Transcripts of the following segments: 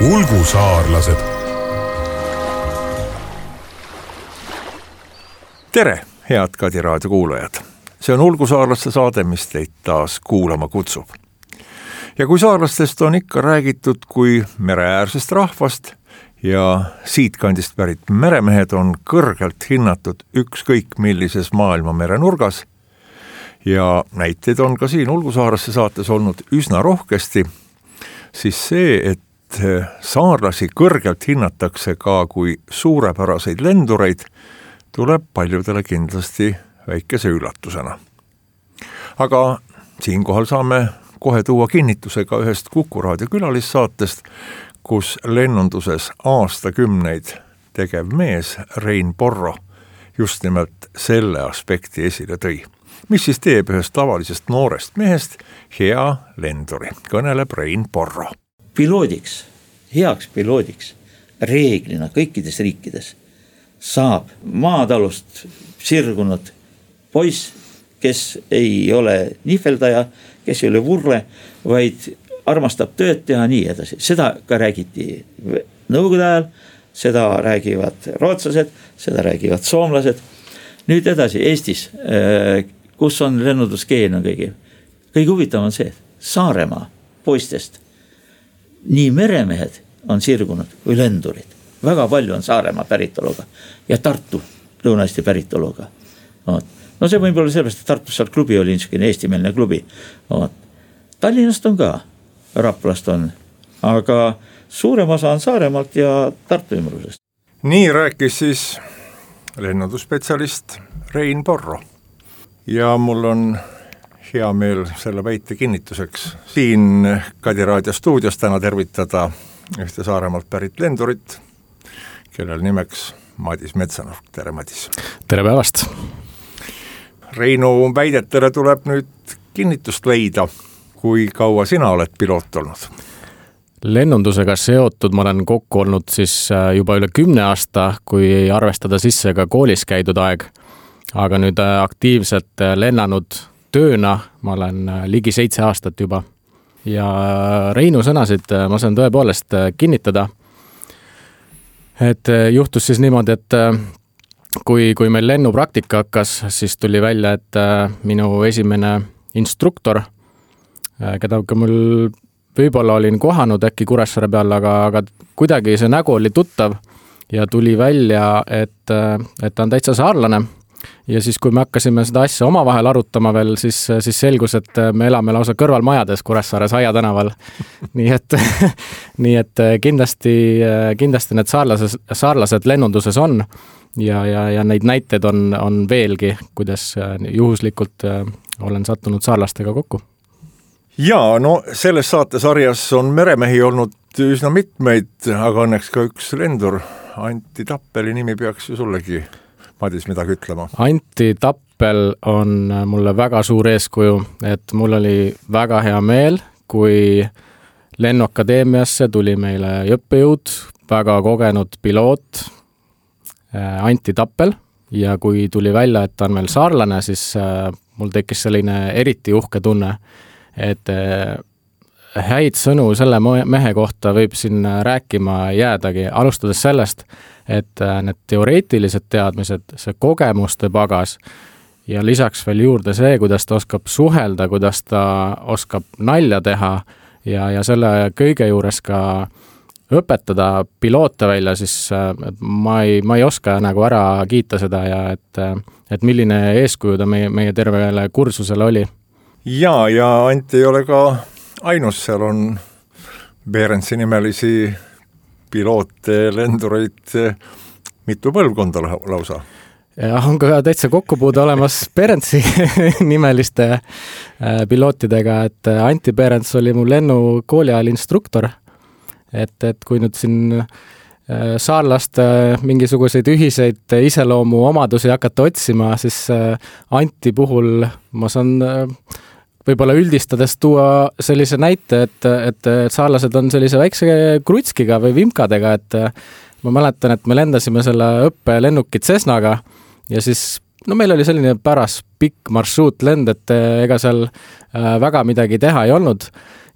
Ulgusaarlased. Tere, head Kadi raadio kuulajad. See on Ulgusaarlaste saade, mis teid taas kuulama kutsub. Ja kui saarlastest on ikka räägitud kui mereäärsest rahvast ja siitkandist pärit meremehed on kõrgelt hinnatud ükskõik millises maailma merenurgas ja näiteid on ka siin Ulgusaarlaste saates olnud üsna rohkesti, siis see, et saarlasi kõrgelt hinnatakse ka kui suurepäraseid lendureid, tuleb paljudele kindlasti väikese üllatusena. Aga siinkohal saame kohe tuua kinnitusega ühest Kuku raadio külalissaatest, kus lennunduses aastakümneid tegev mees Rein Porro just nimelt selle aspekti esile tõi. Mis siis teeb ühest tavalisest noorest mehest hea lenduri, kõneleb Rein Porro. Heaks piloodiks reeglina kõikides riikides saab maatalust sirgunud poiss, kes ei ole nihveldaja, kes ei ole vurle, vaid armastab tööd teha nii edasi. Seda ka räägiti nõukogude ajal, seda räägivad rootslased, seda räägivad soomlased. Nüüd edasi Eestis, kus on lennunduskeelne kõige huvitavam on see, Saaremaa poistest nii meremehed on sirgunud kui lendurid. Väga palju on Saaremaa päritoluga ja Tartu Lõuna-Eesti päritoluga. No see võib olla sellepärast, et Tartus seal klubi oli niisugune eestimeelne klubi. Tallinnast on ka, Raplast on, aga suurem osa on Saaremaalt ja Tartu ümbrusest. Nii rääkis siis lennundusspetsialist Rein Porro. Ja mul on hea meel selle väite kinnituseks siin Kadi raadio stuudios täna tervitada ühte Saaremaalt pärit lendurit, kellel nimeks Madis Metsanurk. Tere, Madis! Tere päevast! Reinu väidetele tuleb nüüd kinnitust leida. Kui kaua sina oled piloot olnud? Lennundusega seotud ma olen kokku olnud siis juba üle 10 aasta, kui arvestada sisse ka koolis käidud aeg. Aga nüüd aktiivselt lennanud tööna ma olen ligi 7 aastat juba. Ja Reinu sõnasid ma saan tõepoolest kinnitada, et juhtus siis niimoodi, et kui meil lennupraktika hakkas, siis tuli välja, et minu esimene instruktor, keda mul võib-olla olin kohanud äkki Kuressaare peal, aga kuidagi see nägu oli tuttav ja tuli välja, et ta on täitsa saarlane. Ja siis kui me hakkasime seda asja omavahel arutama veel, siis selgus, et me elame lausa kõrvalmajades Kuressaares Aia tänaval. nii et kindlasti need saarlased lennunduses on ja neid näiteid on veelgi, kuidas juhuslikult olen sattunud saarlastega kokku. Jaa, no selles saatesarjas on meremehi olnud üsna mitmeid, aga õnneks ka üks lendur. Antti Tappeli nimi peaks ju sullegi Madis midagi ütlema. Antti Tappel on mulle väga suur eeskuju, et mul oli väga hea meel, kui lennuakadeemiasse tuli meile õppejõud, väga kogenud piloot Antti Tappel ja kui tuli välja, et ta on meil saarlane, siis mul tekkis selline eriti uhke tunne, et häid sõnu selle mehe kohta võib siin rääkima jäädagi, alustades sellest, et need teoreetilised teadmised, see kogemuste pagas ja lisaks veel juurde see, kuidas ta oskab suhelda, kuidas ta oskab nalja teha ja selle kõige juures ka õpetada piloote välja, siis ma ei oska nagu ära kiita seda ja et milline eeskuju ta meie tervele kursusele oli. Ja Antti ei ole ka ainus, seal on Berendsi nimelisi piloote, lendureid, mitu põlvkonda lausa. Ja on ka täitsa kokkupuude olemas Berendsi nimeliste pilootidega, et Antti Berends oli mu lennukooli ajal instruktor. Et kui nüüd siin saarlaste mingisuguseid ühiseid iseloomu omadusi hakata otsima, siis Antti puhul ma saan võib-olla üldistades tuua sellise näite, et saarlased on sellise väikse krutskiga või vimkadega, et ma mäletan, et me lendasime selle õppelennukit Cessnaga ja siis meil oli selline päras pikk marsruutlend, et ega seal väga midagi teha ei olnud.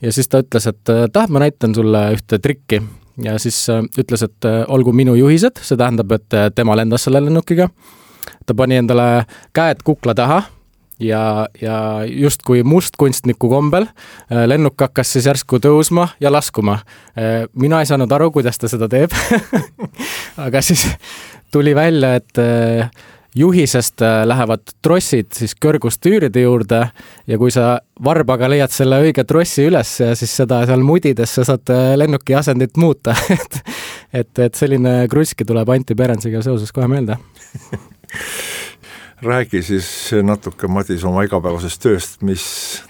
Ja siis ta ütles, et ma näitan sulle ühte trikki. ja siis ütles, et olgu minu juhised, see tähendab, et tema lendas selle lennukiga. Ta pani endale käed kukla taha ja justkui mustkunstniku kombel lennuk hakkas siis järsku tõusma ja laskuma. Mina ei saanud aru, kuidas ta seda teeb, aga siis tuli välja, et juhisest lähevad trossid siis kõrgustüüride juurde ja kui sa varbaga leiad selle õige trossi üles ja siis seda seal mudides sa saad lennuki asendit muuta. et selline kruiski tuleb Anti Perensiga seoses kohe meelde. Räägi siis natuke, Madis, oma igapäevasest tööst, mis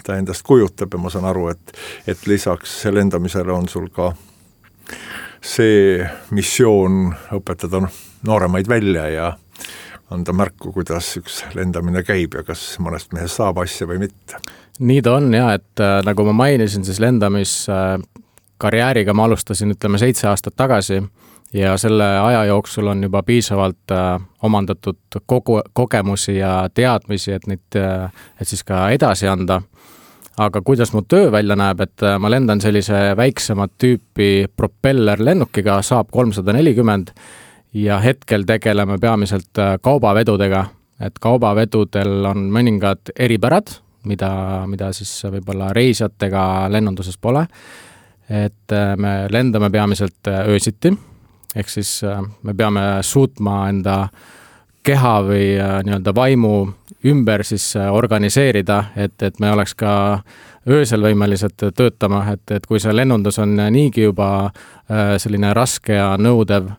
ta endast kujutab ja ma saan aru, et lisaks lendamisele on sul ka see missioon õpetada nooremaid välja ja anda märku, kuidas üks lendamine käib ja kas mõnest mehest saab asja või mitte. Nii ta on ja, et nagu ma mainisin, siis lendamiskarjääriga ma alustasin 7 aastat tagasi ja selle aja jooksul on juba piisavalt omandatud kogemusi ja teadmisi, et siis ka edasi anda. Aga kuidas mu töö välja näeb, et ma lendan sellise väiksemat tüüpi propellerlennukiga Saab 340 ja hetkel tegeleme peamiselt kaubavedudega, et kaubavedudel on mõningad eripärad, mida siis võib-olla reisijatega lennunduses pole. Et me lendame peamiselt öösiti, ehk siis me peame suutma enda keha või nii-öelda vaimu ümber siis organiseerida, et me oleks ka öösel võimelised töötama, et kui see lennundus on niigi juba selline raske ja nõudev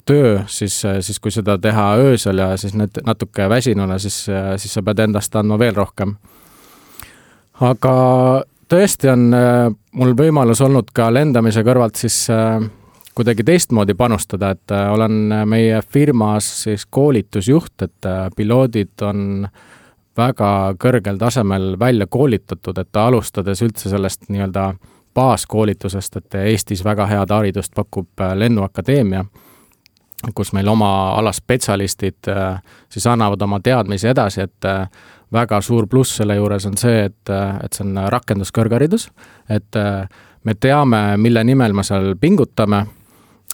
töö, siis kui seda teha öösel ja siis natuke väsinuna, siis sa pead endast andma veel rohkem. Aga tõesti on mul võimalus olnud ka lendamise kõrvalt siis kuidagi teistmoodi panustada, et olen meie firmas siis koolitusjuht, et piloodid on väga kõrgel tasemel välja koolitatud, et alustades üldse sellest nii-öelda baaskoolitusest, et Eestis väga head haridust pakub Lennuakadeemia, kus meil oma alaspetsialistid siis annavad oma teadmisi edasi, et väga suur pluss selle juures on see, et see on rakenduskõrgharidus, et me teame, mille nimel me seal pingutame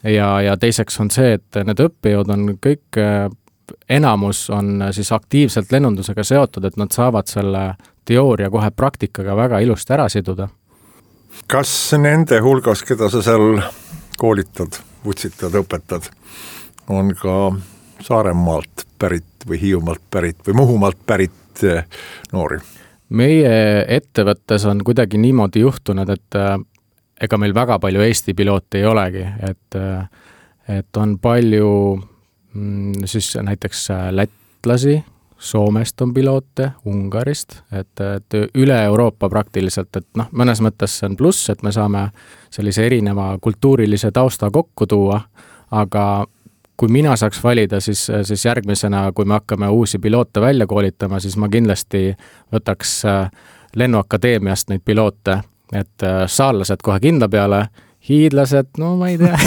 ja teiseks on see, et need õppijad on kõik, enamus on siis aktiivselt lennundusega seotud, et nad saavad selle teooria kohe praktikaga väga ilusti ära siduda. Kas nende hulgas, keda sa seal koolitad, vutsitad, õpetad, on ka Saaremaalt pärit või Hiiumaalt pärit või Muhumaalt pärit noori? Meie ettevõttes on kuidagi niimoodi juhtunud, et ega meil väga palju Eesti piloote ei olegi, et on palju siis näiteks lätlasi, Soomest on piloote, Ungarist, et üle Euroopa praktiliselt, et mõnes mõttes see on pluss, et me saame sellise erineva kultuurilise tausta kokku tuua, aga kui mina saaks valida, siis järgmisena, kui me hakkame uusi piloote välja koolitama, siis ma kindlasti võtaks Lennuakadeemiast neid piloote, et saarlased kohe kindla peale, hiidlased, no ma ei tea.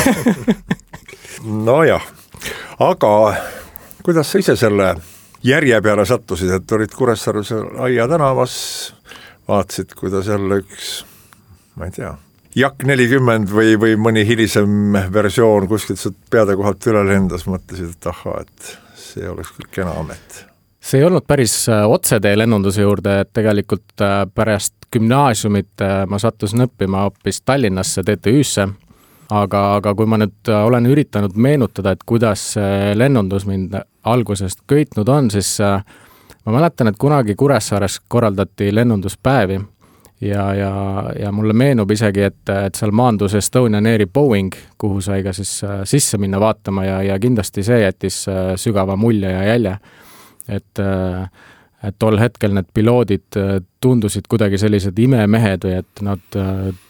Nojah, aga kuidas sa ise selle järje peale sattusid, et olid Kuressaares Aia tänavas, vaatasid, kuidas jälle üks, ma ei tea, Jak 40 või mõni hilisem versioon kuskilt peade kohalt üle lendas, mõtlesid, et ahhaa, et see oleks küll kena amet. See ei olnud päris otsetee lennunduse juurde, et tegelikult pärast gümnaasiumit ma sattusin õppima hoopis Tallinnasse TTÜ-sse, aga kui ma nüüd olen üritanud meenutada, et kuidas lennundus mind algusest köitnud on, siis ma mäletan, et kunagi Kuressaares korraldati lennunduspäevi ja mulle meenub isegi, et seal maandus Estonian Airi Boeing, kuhu sai ka siis sisse minna vaatama ja kindlasti see jättis sügava mulje ja jälje. Et tol hetkel need piloodid tundusid kuidagi sellised imemehed või et nad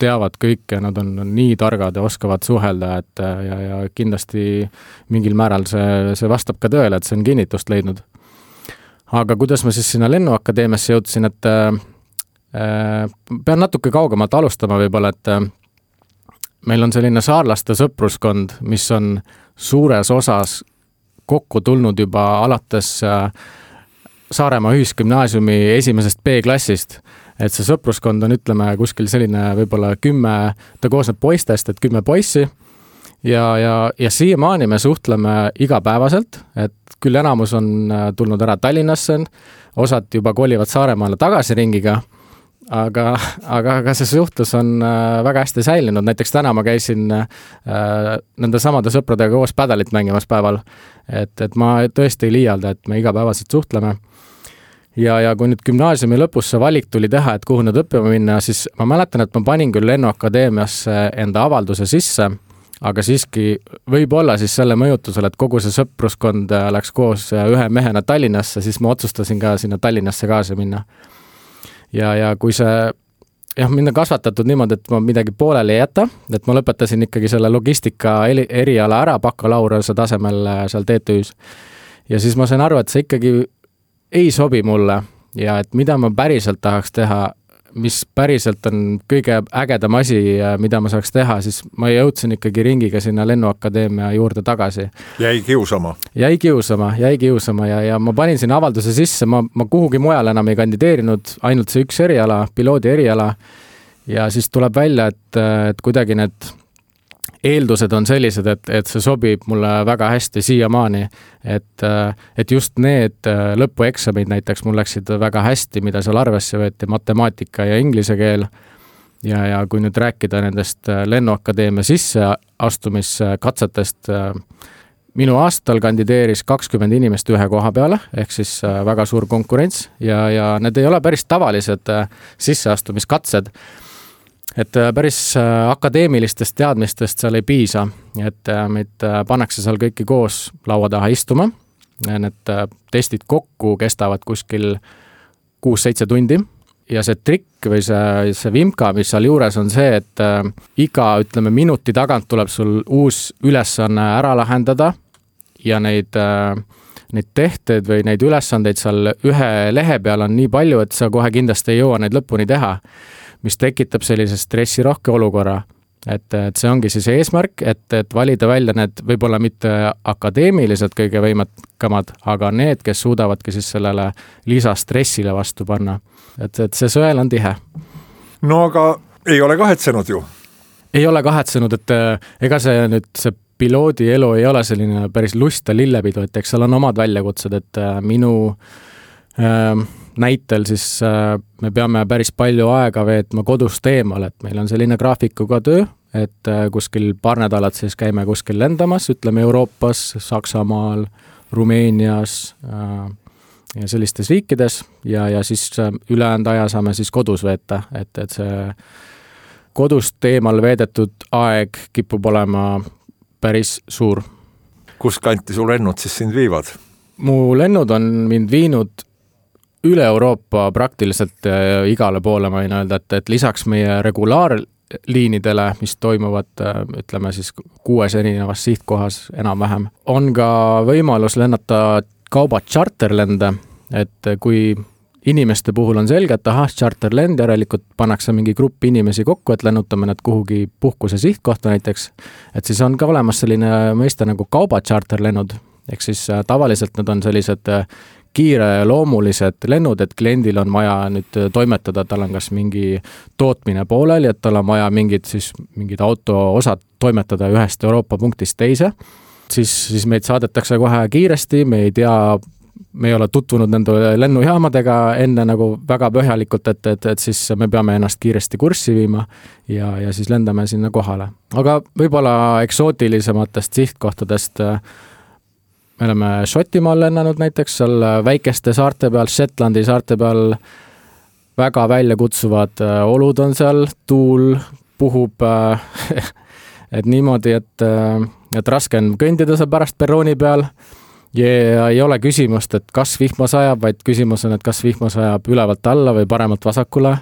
teavad kõike, nad on nii targad ja oskavad suhelda, et ja kindlasti mingil määral see vastab ka tõele, et see on kinnitust leidnud. Aga kuidas ma siis sinna Lennuakadeemiasse jõudsin, et pean natuke kaugemalt alustama võib-olla, et meil on selline saarlaste sõpruskond, mis on suures osas kokku tulnud juba alates Saaremaa ühisgümnaasiumi esimesest B-klassist, et see sõpruskond on, ütleme, kuskil selline võib-olla 10, ta koosneb poistest, et 10 poissi ja siiamaani me suhtleme igapäevaselt, et küll enamus on tulnud ära Tallinnasse, osad juba kolivad Saaremaale tagasi ringiga, aga see suhtlus on väga hästi säilinud. Näiteks täna ma käisin nende samade sõpradega koos pädalit mängimas päeval, et ma tõesti ei liialda, et me igapäevaselt suhtleme. Ja kui nüüd gümnaasiumi lõpus see valik tuli teha, et kuhu nüüd õppima minna, siis ma mäletan, et ma panin küll Lennuakadeemiasse enda avalduse sisse, aga siiski võib-olla siis selle mõjutusel, et kogu see sõpruskond läks koos ühe mehena Tallinnasse, siis ma otsustasin ka sinna Tallinnasse kaasa minna. Ja kui see mind on kasvatatud niimoodi, et ma midagi pooleli ei jäta, et ma lõpetasin ikkagi selle logistika eriala ära bakalaureuse tasemel seal TTÜs. Ja siis ma sain aru, et see ikkagi ei sobi mulle ja et mida ma päriselt tahaks teha, mis päriselt on kõige ägedam asi, mida ma saaks teha, siis ma jõudsin ikkagi ringiga sinna Lennuakadeemia juurde tagasi. Jäi kiusama ja ma panin sinna avalduse sisse, ma kuhugi mujal enam ei kandideerinud, ainult see üks eriala, piloodi eriala ja siis tuleb välja, et kuidagi need eeldused on sellised, et see sobib mulle väga hästi siiamaani, et just need lõpueksamid näiteks mul läksid väga hästi, mida seal arvesse võeti, matemaatika ja inglise keel. Ja kui nüüd rääkida nendest Lennuakadeemia sisseastumiskatsetest, minu aastal kandideeris 20 inimest ühe koha peale, ehk siis väga suur konkurents ja need ei ole päris tavalised sisseastumiskatsed. Et päris akadeemilistest teadmistest seal ei piisa, et meid pannakse seal kõiki koos laua taha istuma. Need testid kokku kestavad kuskil 6-7 tundi ja see trikk või see vimka, mis seal juures on see, et iga, minuti tagant tuleb sul uus ülesanne ära lahendada ja neid tehteid või neid ülesandeid seal ühe lehe peal on nii palju, et sa kohe kindlasti ei jõua neid lõpuni teha, mis tekitab sellise stressirohke olukorra. Et see ongi siis eesmärk, et valida välja need võib-olla mitte akadeemiliselt kõige võimekamad, aga need, kes suudavadki siis sellele lisastressile vastu panna. Et see sõel on tihe. No aga ei ole kahetsenud ju? Ei ole kahetsenud, et ega see piloodi elu ei ole selline päris lust ja lillepidu, et eks seal on omad väljakutsed, et minu näitel siis me peame päris palju aega veetma kodust eemal, et meil on selline graafikuga töö, et kuskil paar nädalat siis käime kuskil lendamas, Euroopas, Saksamaal, Rumeenias ja sellistes riikides ja siis ülejäänud aja saame siis kodus veeta, et see kodust eemal veedetud aeg kipub olema päris suur. Kus kanti sul lennud siis sind viivad? Mu lennud on mind viinud üle Euroopa praktiliselt igale poole, ma võin öelda, et lisaks meie regulaarliinidele, mis toimuvad, siis 6 erinevas sihtkohas enam-vähem, on ka võimalus lennata kauba charterlende, et kui inimeste puhul on selge, et charterlend, järelikult pannakse mingi grupp inimesi kokku, et lennutame need kuhugi puhkuse sihtkohta näiteks, et siis on ka olemas selline mõiste nagu kauba charterlennud, ehk siis tavaliselt need on sellised kiire loomulised lennud, et kliendil on vaja nüüd toimetada, tal on kas mingi tootmine pooleli, et tal on vaja mingid auto-osad toimetada ühest Euroopa punktist teise, siis meid saadetakse kohe kiiresti, me ei ole tutvunud nende lennujaamadega enne nagu väga põhjalikult, et siis me peame ennast kiiresti kurssi viima ja siis lendame sinna kohale. Aga võib-olla eksootilisematest sihtkohtadest me oleme Šotimaal lennanud näiteks, seal väikeste saarte peal, Shetlandi saarte peal väga väljakutsuvad olud on seal, tuul puhub, et niimoodi, et raske on kõndida seal pärast perrooni peal ja ei ole küsimust, et kas vihma sajab, vaid küsimus on, et kas vihma sajab ülevalt alla või paremalt vasakule.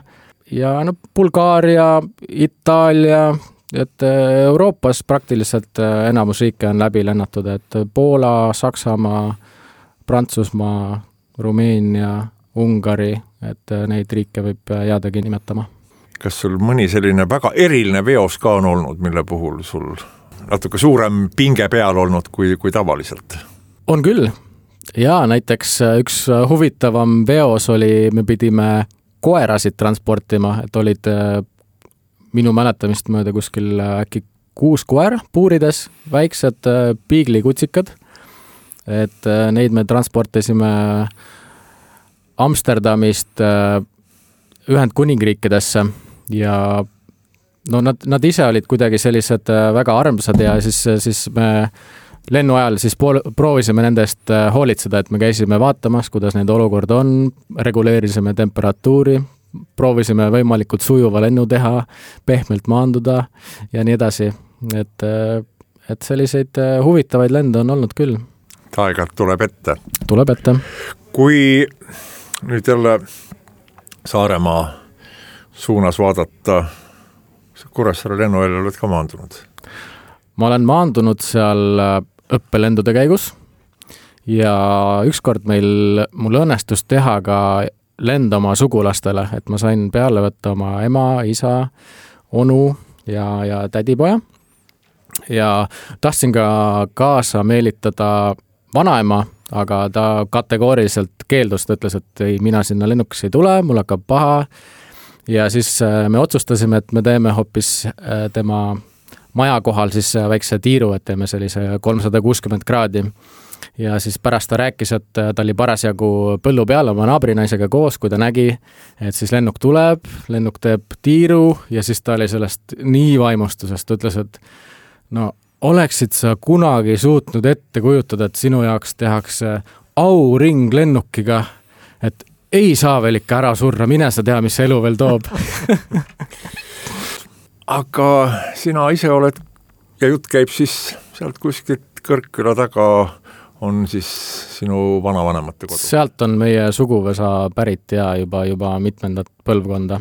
Ja Bulgaaria, Itaalia, et Euroopas praktiliselt enamus riike on läbi lennatud, et Poola, Saksamaa, Prantsusmaa, Rumeenia, Ungari, et neid riike võib jäädagi nimetama. Kas sul mõni selline väga eriline veos ka on olnud, mille puhul sul natuke suurem pinge peal olnud kui tavaliselt? On küll. Ja näiteks üks huvitavam veos oli, me pidime koerasid transportima, et olid minu mäletamist mööda kuskil äkki 6 koera puurides, väiksed piiglikutsikad, et neid me transportisime Amsterdamist Ühendkuningriikidesse ja no nad ise olid kuidagi sellised väga armsad ja siis me lennu ajal siis proovisime nendest hoolitseda, et me käisime vaatamas, kuidas neid olukord on, reguleerisime temperatuuri, proovisime võimalikult sujuva lennu teha, pehmelt maanduda ja nii edasi. Et selliseid huvitavaid lende on olnud küll. Aeg-ajalt tuleb ette. Tuleb ette. Kui nüüd jälle Saaremaa suunas vaadata, Kuressaare lennuväljal oled ka maandunud? Ma olen maandunud seal õppelendude käigus ja ükskord mul õnnestus teha ka lend oma sugulastele, et ma sain peale võtta oma ema, isa, onu ja tädipoja ja tahtsin ka kaasa meelitada vanaema, aga ta kategooriliselt keeldus, ta ütles, et ei, mina sinna lennuks ei tule, mul hakkab paha ja siis me otsustasime, et me teeme hoopis tema maja kohal siis väikse tiiru, et teeme sellise 360 kraadi ja siis pärast ta rääkis, et ta oli parasjagu põllu peal oma naabrinaisega koos, kui ta nägi, et siis lennuk tuleb, lennuk teeb tiiru ja siis ta oli sellest nii vaimustusest, ta ütles, et no oleksid sa kunagi suutnud ette kujutada, et sinu jaoks tehakse auring lennukiga, et ei saa veel ikka ära surra, mine sa tea, mis elu veel toob. Aga sina ise oled ja jutt käib siis sealt kuskilt Kõrkküla taga on siis sinu vanavanemate kodu? Sealt on meie suguvõsa pärit ja juba mitmendat põlvkonda.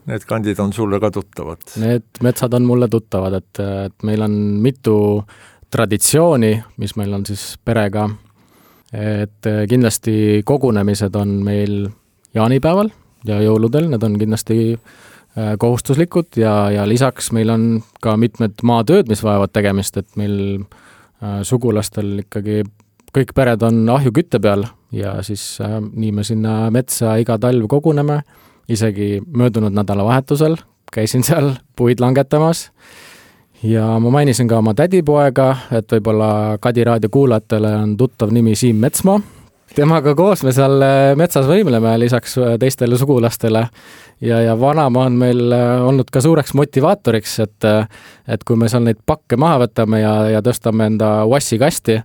Need kandid on sulle ka tuttavad? Need metsad on mulle tuttavad, et meil on mitu traditsiooni, mis meil on siis perega. Et kindlasti kogunemised on meil jaanipäeval ja jõuludel, need on kindlasti kohustuslikud ja lisaks meil on ka mitmed maatööd, mis vajavad tegemist, et meil sugulastel ikkagi kõik pered on ahjukütte peal ja siis nii me sinna metsa iga talv koguneme, isegi möödunud nädalavahetusel käisin seal puid langetamas ja ma mainisin ka oma tädipoega, et võib-olla Kadi raadio kuulajatele on tuttav nimi Siim Metsmaa. Temaga koos me seal metsas võimleme lisaks teistele sugulastele ja vanaema on meil olnud ka suureks motivaatoriks, et kui me seal neid pakke maha võtame ja tõstame enda vassi kasti,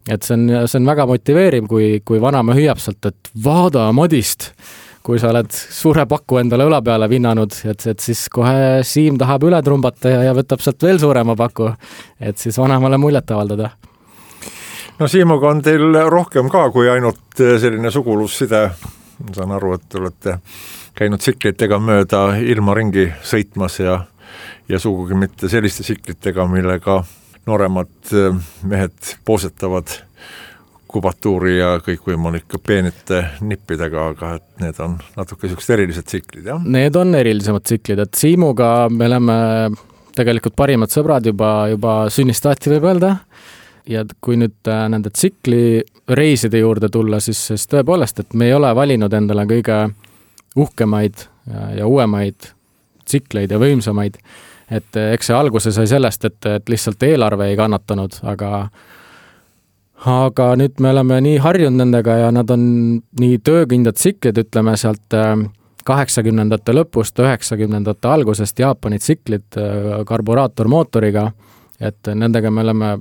et see on väga motiveeriv, kui vanaema hüüab sealt, et vaada Madist, kui sa oled suure paku endale õla peale vinnanud, et siis kohe Siim tahab üle trumbata ja võtab sealt veel suurema paku, et siis vanaemale muljet avaldada. No Siimuga on teil rohkem ka kui ainult selline sugulusside. Ma saan aru, et olete käinud tsiklitega mööda ilma ringi sõitmas ja sugugi mitte selliste tsiklitega, millega nooremad mehed poosetavad kubatuuri ja kõikvõimalike peenite nippidega, aga et need on natuke sellised erilised tsiklid, jah? Need on erilisemad tsiklid, et Siimuga me oleme tegelikult parimad sõbrad juba sünnistaati võib öelda. Ja kui nüüd nende tsikli reiside juurde tulla, siis tõepoolest, et me ei ole valinud endale kõige uhkemaid ja uuemaid tsikleid ja võimsamaid. Et eks see alguse sai sellest, et lihtsalt eelarve ei kannatanud, aga nüüd me oleme nii harjunud nendega ja nad on nii töökindad tsiklid, ütleme sealt 80ndate lõpust, 90ndate algusest Jaapani tsiklid karburaatormootoriga, et nendega me oleme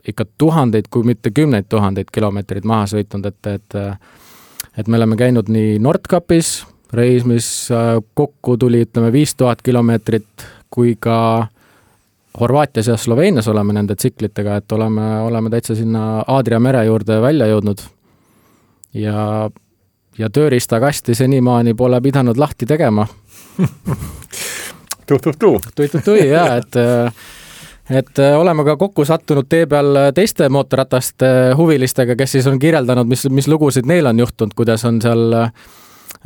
ikka tuhandeid, kui mitte 10 000 kilomeetrid maha sõitnud, et me oleme käinud nii Nordkapis, reis, mis kokku tuli, ütleme 5000 kilomeetrit, kui ka Horvaatias ja Sloveenias oleme nende tsiklitega, et oleme täitsa sinna Aadria mere juurde välja jõudnud ja tööriistakasti senimaani pole pidanud lahti tegema. Tui, jaa, et oleme ka kokku sattunud tee peal teiste mootorrataste huvilistega, kes siis on kirjeldanud, mis lugusid neil on juhtunud, kuidas on seal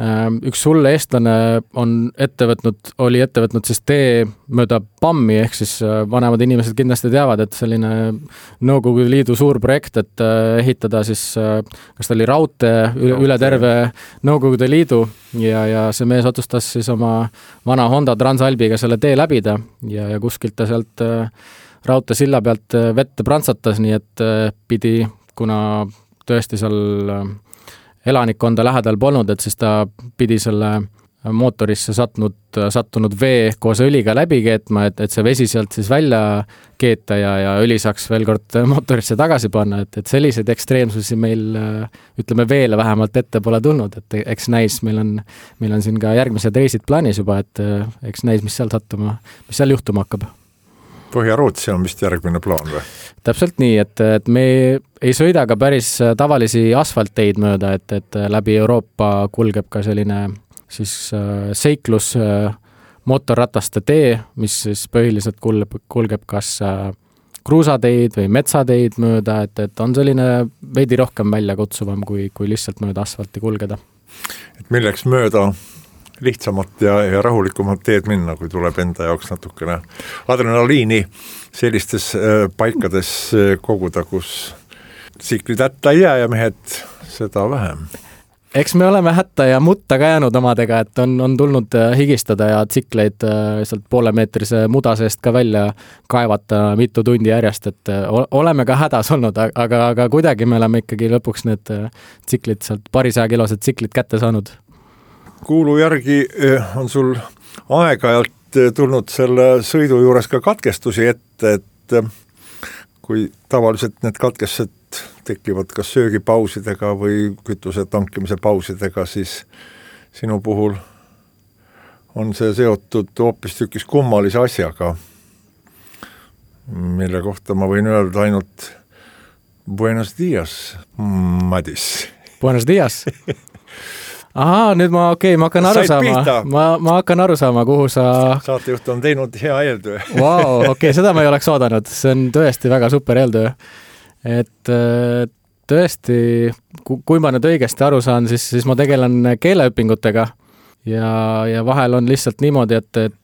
üks hull eestlane oli ette võtnud siis tee mööda Pammi, ehk siis vanemad inimesed kindlasti teavad, et selline Nõukogude Liidu suur projekt, et ehitada siis, kas ta oli raudtee üle terve Nõukogude Liidu ja see mees otsustas siis oma vana Honda Transalbiga selle tee läbida ja kuskilt ta sealt raudteesilla pealt vette prantsatas, nii et pidi, kuna tõesti seal elanikkonda lähedal polnud, et siis ta pidi selle mootorisse sattunud vee koos õliga läbi keetma, et see vesi sealt siis välja keeta ja õli saaks veel kord mootorisse tagasi panna, et selliseid ekstreemsusi meil, ütleme veele vähemalt ette pole tulnud, et eks näis, meil on siin ka järgmised reisid plaanis juba, et eks näis, mis seal juhtuma hakkab. Põhja-Rootsi on vist järgmine plaan või? Täpselt nii, et me ei sõida ka päris tavalisi asfaltteid mööda, et läbi Euroopa kulgeb ka selline siis seiklus mootorrataste tee, mis siis põhiliselt kulgeb kas kruusateid või metsateid mööda, et on selline veidi rohkem väljakutsuvam kui lihtsalt mööda asfalti kulgeda. Et milleks mööda lihtsamat ja rahulikumat teed minna, kui tuleb enda jaoks natukene adrenaliini sellistes paikades koguda, kus tsiklid hätta ei jää ja mehed seda vähem. Eks me oleme hätta ja mutta ka jäänud omadega, et on tulnud higistada ja tsikleid sealt poolemeetrise muda seest ka välja kaevata mitu tundi järjest, et oleme ka hädas olnud, aga kuidagi me oleme ikkagi lõpuks need tsiklid sealt parisaja kilosed tsiklid kätte saanud. Kuulu järgi on sul aeg-ajalt tulnud selle sõidu juures ka katkestusi ette, et kui tavaliselt need katkestused tekivad kas söögipausidega või kütuse tankimise pausidega, siis sinu puhul on see seotud hoopistükkis kummalise asjaga, mille kohta ma võin öelda ainult Buenos dias, Madis. Buenos dias? Ahaa, nüüd ma hakkan aru saama. Ma hakkan aru saama, kuhu sa... Saatejuht on teinud hea eeltöö. Vau, okei, seda ma ei oleks oodanud. See on tõesti väga super eeltöö. Et tõesti, kui ma nüüd õigesti aru saan, siis ma tegelen keeleõpingutega ja vahel on lihtsalt niimoodi, et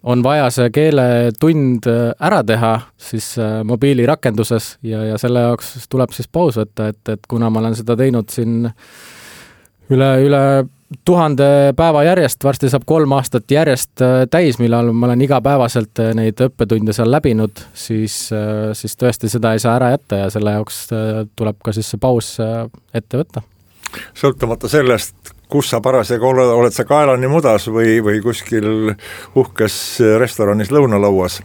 on vaja see keeletund ära teha siis mobiilirakenduses ja selle jaoks tuleb siis paus võtta, et kuna ma olen seda teinud siin üle 1000 päeva järjest, varsti saab 3 aastat järjest täis, millal ma olen igapäevaselt neid õppetunde seal läbinud, siis tõesti seda ei saa ära jätta ja selle jaoks tuleb ka siis see paus ette võtta. Sõltumata sellest, kus sa parasjagu oled sa kaelani mudas või kuskil uhkes restoranis lõunalauas,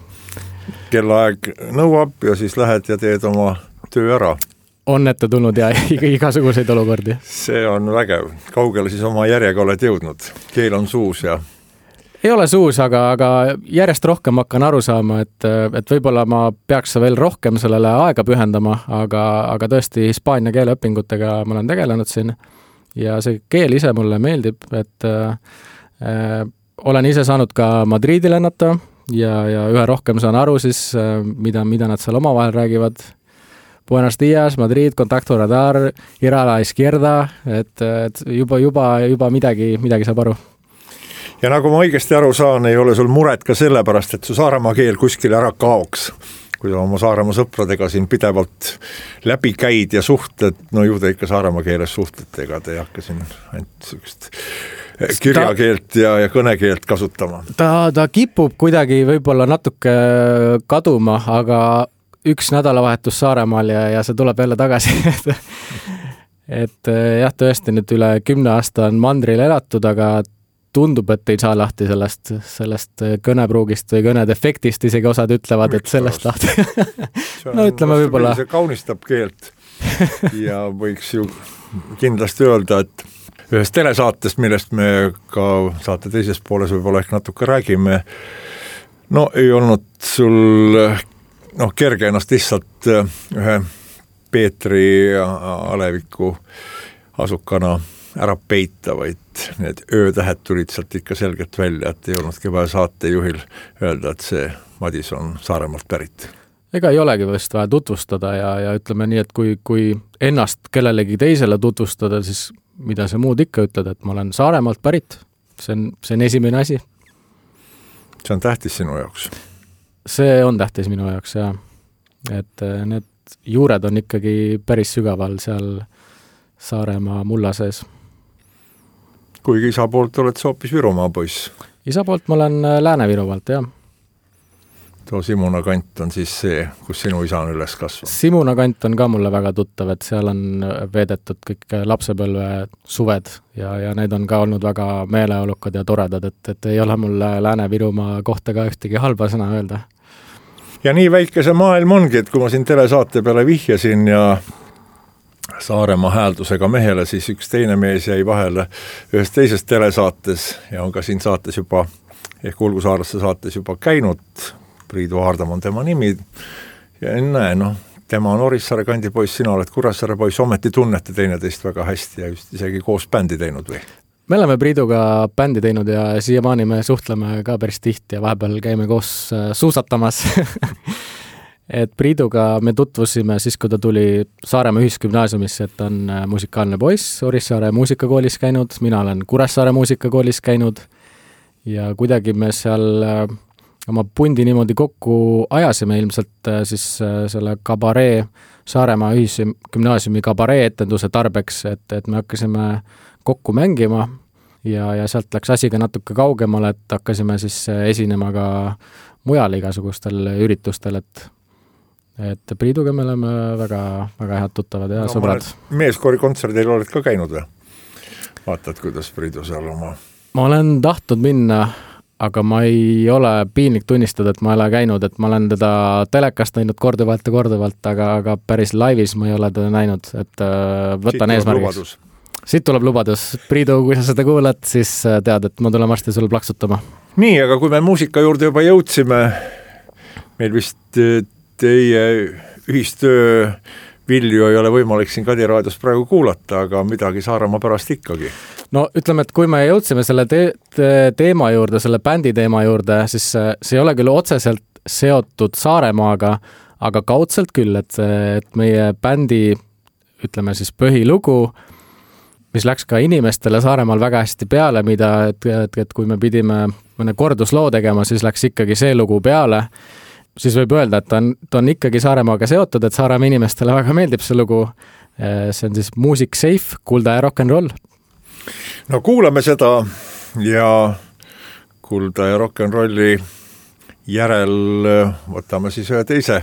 kellaaeg nõuab ja siis lähed ja teed oma töö ära. On ette tulnud ja igasuguseid olukordi. See on vägev. Kaugele siis oma järjega oled jõudnud? Keel on suus ja... Ei ole suus, aga järjest rohkem hakkan aru saama, et võib-olla ma peaks veel rohkem sellele aega pühendama, aga tõesti Hispaania keeleõpingutega ma olen tegelenud siin ja see keel ise mulle meeldib, et olen ise saanud ka Madridi lennata ja üha rohkem saan aru siis, mida nad seal omavahel räägivad. Buenos dias, Madrid, contacto radar, ir a la izquierda, et juba midagi saab aru. Ja nagu ma õigesti aru saan, ei ole sul muret ka sellepärast, et su Saaremaa keel kuskil ära kaoks. Kui sa oma Saaremaa sõpradega siin pidevalt läbi käid ja suhted, no ju te ikka Saaremaa keeles suhtlete, ega te ei hakka siin ainult sellist kirjakeelt ja kõnekeelt kasutama. Ta kipub kuidagi võib-olla natuke kaduma, aga üks nädalavahetus Saaremaal ja see tuleb jälle tagasi. et jah, tõesti nüüd üle 10 aasta on mandril elatud, aga tundub, et ei saa lahti sellest kõnepruugist või kõnedefektist, isegi osad ütlevad, et sellest lahti. No ütleme võib-olla. See kaunistab keelt ja võiks ju kindlasti öelda, et ühest telesaatest, millest me ka saate teises pooles võib-olla ehk natuke räägime, no ei olnud sul kerge ennast lihtsalt ühe Peetri Aleviku asukana ära peita, vaid need öötähed tulid sealt ikka selgelt välja, et ei olnudki vaja saatejuhil öelda, et see Madis on Saaremaalt pärit. Ega ei olegi vist vaja tutvustada ja ütleme nii, et kui ennast kellelegi teisele tutvustada, siis mida sa muud ikka ütled, et ma olen Saaremaalt pärit, see on esimene asi. See on tähtis sinu jaoks? See on tähtis minu jaoks, jah. Et need juured on ikkagi päris sügaval seal Saaremaa mulla sees. Kuigi isa poolt oled sa hoopis Virumaa poiss? Isa poolt ma olen Lääne-Virumaalt, jah. Too Simuna kant on siis see, kus sinu isa on üles kasvanud? Simuna kant on ka mulle väga tuttav, et seal on veedetud kõik lapsepõlve suved ja need on ka olnud väga meeleolukad ja toredad, et ei ole mulle Lääne-Virumaa kohta ka ühtegi halba sõna öelda. Ja nii väike see maailm ongi, et kui ma siin telesaate peale vihjasin ja Saaremaa hääldusega mehele, siis üks teine mees jäi vahele ühes teises telesaates ja on ka siin saates juba, ehk Ulgusaarlaste saates juba käinud. Priidu Haardam on tema nimi ja näe, tema on Orissaare kandi poiss, sina oled Kuressaare poiss, ometi tunnete teineteist väga hästi ja just isegi koos bändi teinud või? Me oleme Priiduga bändi teinud ja siiamaani me suhtleme ka päris tihti ja vahepeal käime koos suusatamas. Et Priiduga me tutvusime siis, kui ta tuli Saaremaa ühisgümnaasiumisse, et on musikaalne poiss, Orissaare muusikakoolis käinud, mina olen Kuressaare muusikakoolis käinud ja kuidagi me seal oma pundi niimoodi kokku ajasime ilmselt siis selle kabaree, Saaremaa ühisgümnaasiumi kabaree etenduse tarbeks, et me hakkasime kokku mängima ja sealt läks asi ka natuke kaugemale, et hakkasime siis esinema ka mujal igasugustel üritustel, et Priiduga me oleme väga, väga head tuttavad ja sõbrad. Meeskoori kontserdil oled ka käinud või? Vaatad, kuidas Priidu seal oma... Ma olen tahtnud minna, aga ma ei ole piinlik tunnistada, et ma ei ole käinud, et ma olen teda telekast näinud korduvalt, aga päris laivis ma ei ole teda näinud, et võtan eesmärgiks. Siit tuleb lubadus. Priidu, kui sa seda kuulad, siis tead, et ma tulen varsti sul plaksutama. Nii, aga kui me muusika juurde juba jõudsime, meil vist teie ühistöö vilju ei ole võimalik siin Kadi raadios praegu kuulata, aga midagi Saaremaa pärast ikkagi. No ütleme, et kui me jõudsime selle teema juurde, selle bändi teema juurde, siis see ei ole küll otseselt seotud Saaremaaga, aga kaudselt küll, et meie bändi, ütleme siis põhilugu, mis läks ka inimestele Saaremaal väga hästi peale, et kui me pidime mõne kordusloo tegema, siis läks ikkagi see lugu peale, siis võib öelda, et ta on ikkagi Saaremaaga seotud, et Saaremaa inimestele väga meeldib see lugu. See on siis Music Safe, Kulda ja rock'n'roll. No kuulame seda ja Kulda ja rock'n'rolli järel võtame siis ühe teise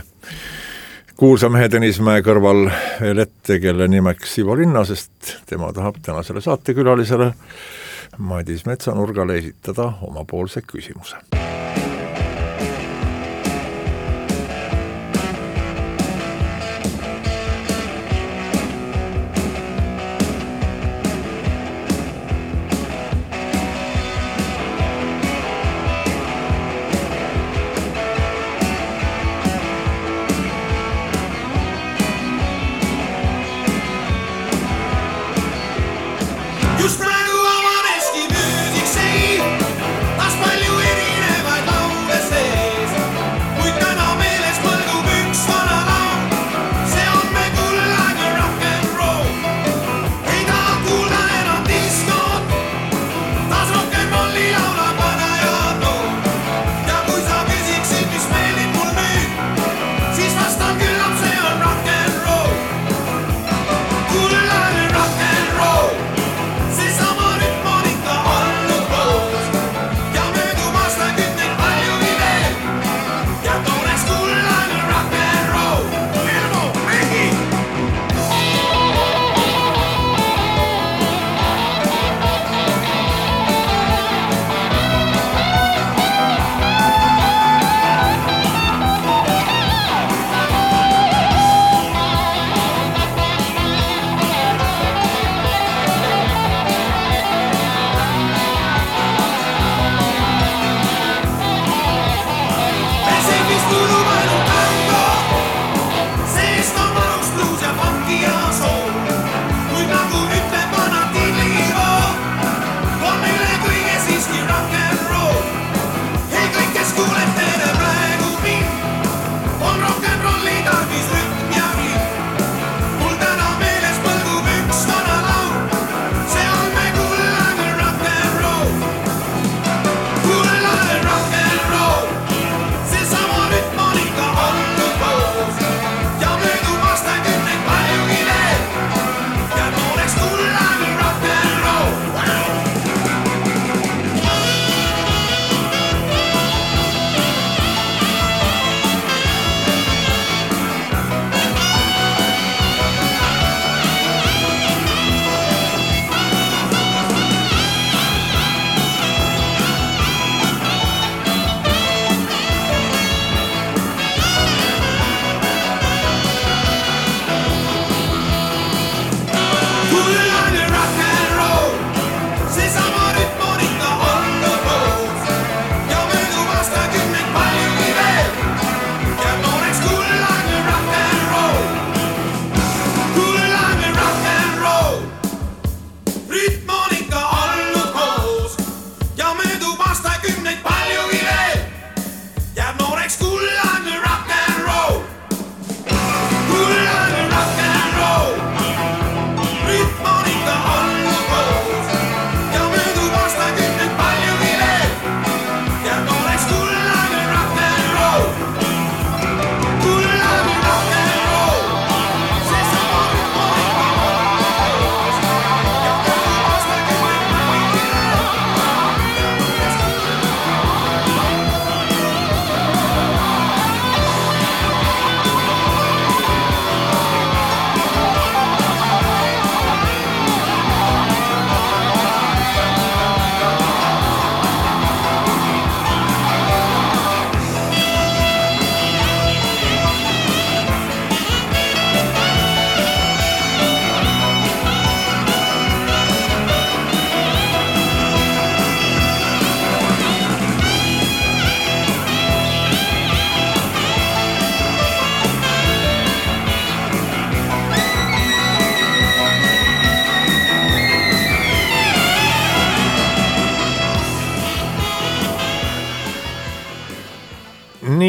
kuulsa mehe Tõnismäe kõrval veel ette, kelle nimeks Ivo Linna, sest tema tahab tänasele saatekülalisele Madis Metsanurgale esitada omapoolse küsimuse. Just praegu avaneski Music Safe, taas palju erineb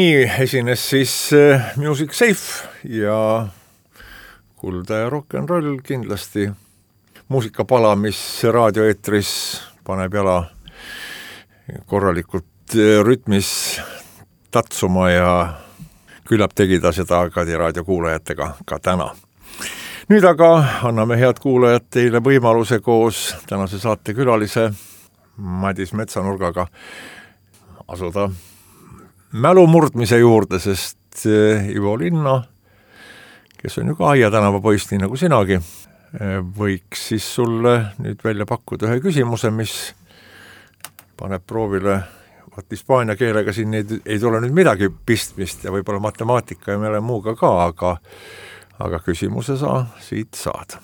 nii esines siis Music Safe ja Kulda ja rock n roll kindlasti muusikapala, mis raadioeetris paneb jala korralikult rütmis tatsuma ja küllap tegi ta seda Kadi raadio kuulajatega ka täna. Nüüd aga anname head kuulajad teile võimaluse koos tänase saate külalise Madis Metsanurgaga asuda mälu murdmise juurde, sest Ivo Linna, kes on ju ka Aia tänava poiss, nii nagu sinagi, võiks siis sulle nüüd välja pakkuda ühe küsimuse, mis paneb proovile, hispaania keelega siin ei tule nüüd midagi pistmist ja võib-olla matemaatika ja meile muuga ka, aga küsimuse sa siit saad.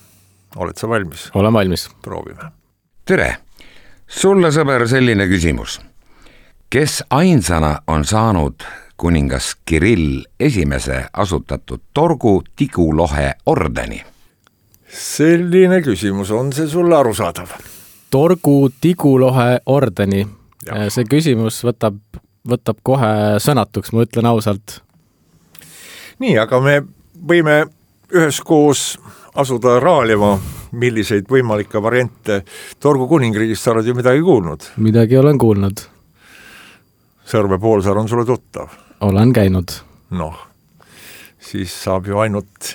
Oled sa valmis? Olen valmis. Proovime. Tere! Sulle, sõber, selline küsimus. Kes ainsana on saanud kuningas Kirill esimese asutatud Torgu Tigulohe ordeni? Selline küsimus, on see sulle arusaadav? Torgu Tigulohe ordeni. Ja. See küsimus võtab kohe sõnatuks, ma ütlen ausalt. Nii, aga me võime üheskoos asuda raalima, milliseid võimalikke variante Torgu kuningriigist sa oled ju midagi kuulnud? Midagi olen kuulnud. Sõrve poolsaar on sulle tuttav? Olen käinud. Noh, siis saab ju ainult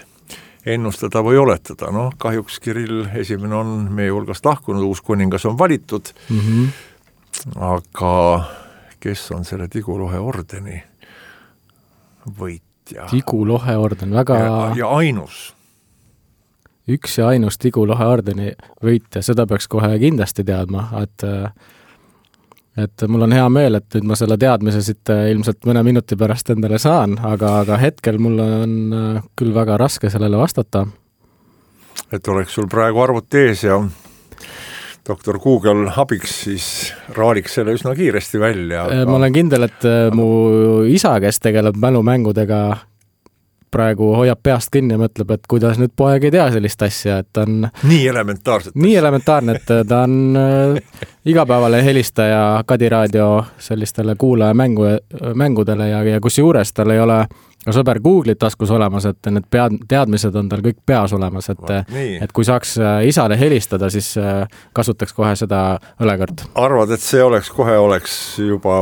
ennustada või oletada. Noh, kahjuks Kirill esimene on meie hulgast lahkunud, uus kuningas on valitud. Aga kes on selle Tigulohe ordeni võitja? Tigulohe orden, väga... Ja ainus. Üks ja ainus Tigulohe ordeni võitja, seda peaks kohe kindlasti teadma, et mul on hea meel, et nüüd ma selle teadmise siit ilmselt mõne minuti pärast endale saan, aga hetkel mul on küll väga raske sellele vastata. Et oleks sul praegu arvuti ees ja doktor Google abiks, siis raaliks selle üsna kiiresti välja. Aga... Ma olen kindel, et mu isa, kes tegeleb mälumängudega, praegu hoiab peast kinni ja mõtleb, et kuidas nüüd poeg ei tea sellist asja, et ta on... Nii elementaarne, et ta on igapäevale helistaja Kadi raadio sellistele kuulaja mängudele ja kus juures tal ei ole ka sõber Google'it taskus olemas, et need teadmised on tal kõik peas olemas, et kui saaks isale helistada, siis kasutaks kohe seda õlekõrt. Arvad, et see oleks juba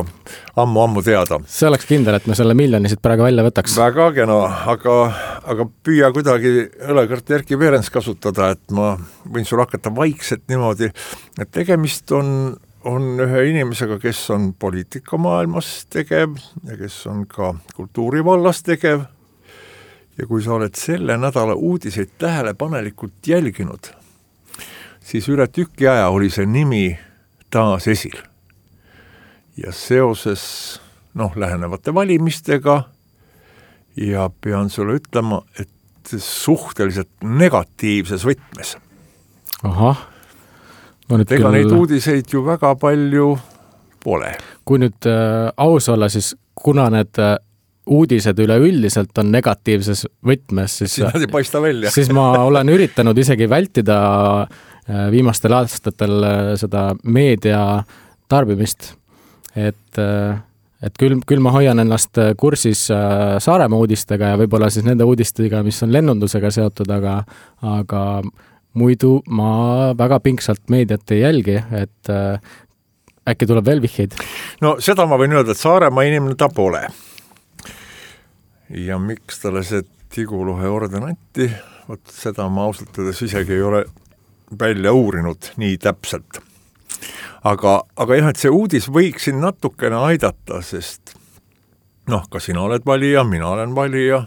ammu teada? See oleks kindel, et me selle miljonisid praegu välja võtaks. Väga kena, aga püüa kuidagi õlekõrt Erki Perens kasutada, et ma võin sul hakata vaikselt niimoodi, et tegemist on ühe inimesega, kes on poliitikamaailmas tegev ja kes on ka kultuurivallas tegev. Ja kui sa oled selle nädala uudiseid tähelepanelikult jälginud, siis üle tüki aja oli see nimi taas esil. Ja seoses lähenevate valimistega ja pean sulle ütlema, et suhteliselt negatiivses võtmes. Ahah. Ega neid uudiseid ju väga palju pole. Kui nüüd aus olla, siis kuna need uudised üleüldiselt on negatiivses võtmes, siis nad ei paista välja. Siis ma olen üritanud isegi vältida viimastel aastatel seda meedia tarbimist, et küll ma hoian ennast kursis Saaremaa uudistega ja võib-olla siis nende uudistega, mis on lennundusega seotud, aga muidu ma väga pingsalt meediat ei jälgi, et äkki tuleb veel vihjeid? No seda ma võin öelda, et Saaremaa inimene ta pole. Ja miks talle see Tigulohe orden anti, seda ma ausalt öeldes isegi ei ole välja uurinud nii täpselt. Aga jah, et see uudis võiks siin natukene aidata, sest ka sina oled valija, mina olen valija,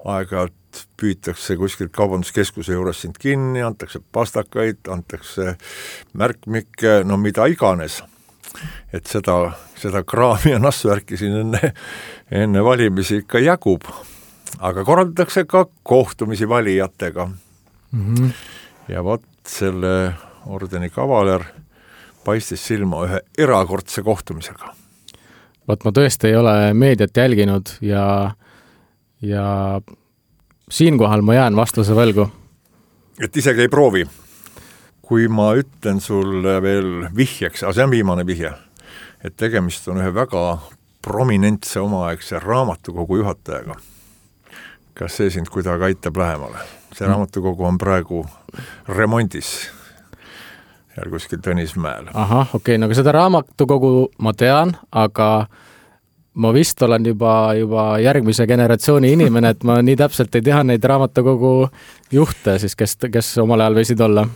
aeg-ajalt püütakse kuskilt kaubanduskeskuse juures sind kinni, antakse pastakaid, antakse märkmikke, mida iganes. Et seda kraami ja nassvärki siin enne valimisi ikka jagub. Aga korraldatakse ka kohtumisi valijatega. Ja selle ordeni kavaler paistis silma ühe erakordse kohtumisega. Ma tõesti ei ole meediat jälginud ja siinkohal ma jään vastuse võlgu. Et isegi ei proovi. Kui ma ütlen sulle veel vihjeks, see on viimane vihje, et tegemist on ühe väga prominentse omaaegse raamatukogu juhatajaga. Kas see sind kuidagi aitab lähemale? See raamatukogu on praegu remondis ja kuskil Tõnismäel. Ahah, okei, no seda raamatukogu ma tean, aga ma vist olen juba järgmise generatsiooni inimene, et ma nii täpselt ei tea neid raamatukogu juhte, siis kes omal ajal võisid olla.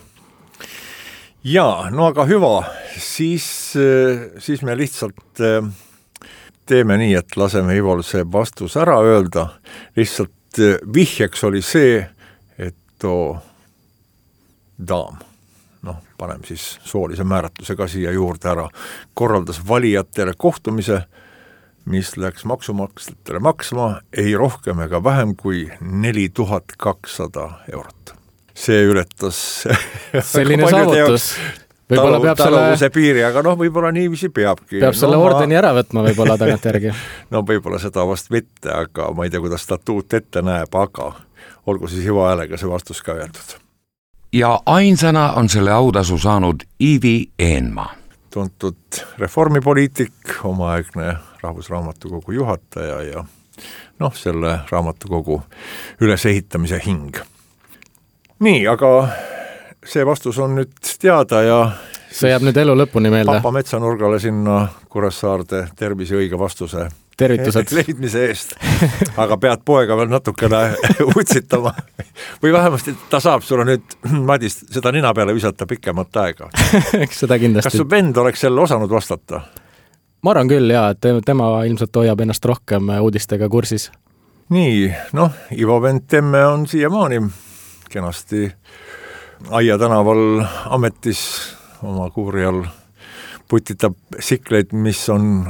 Jaa, no aga hüva, siis me lihtsalt teeme nii, et laseme Ivol see vastus ära öelda. Lihtsalt vihjeks oli see, et too daam, paneme siis soolise määratluse ka siia juurde ära, korraldas valijatele kohtumise, mis läks maksumaksjatele maksma ei rohkem ega vähem kui 4200 eurot. See ületas selline saavutus. Võib-olla peab taluvuse piiri, aga võib-olla niiviisi peabki. Peab selle ordeni ära võtma võib-olla tagant järgi. No võib-olla seda vast mitte, aga ma ei tea, kuidas statuut ette näeb, aga olgu siis hüva häälega see vastus ka öeldud. Ja ainsana on selle autasu saanud Ivi Eenmaa. Tuntud reformipoliitik, omaaegne Rahvusraamatukogu juhataja ja selle raamatukogu ülesehitamise hing. Nii, aga see vastus on nüüd teada ja see jääb nüüd elu lõpuni meelde. Papa Metsanurgale sinna Kuressaarde tervise õige vastuse tervitused leidmise eest. Aga pead poega veel natukene utsitama. Või vähemasti ta saab sulle nüüd, Madis, seda nina peale visata pikemat aega. Eks seda kindlasti. Kas su vend oleks selle osanud vastata? Ma arvan küll, jaa, et tema ilmselt hoiab ennast rohkem uudistega kursis. Nii, Ivo vend Temme on siiamaani kenasti Aia tänaval ametis oma kuuri all putitab sikleid, mis on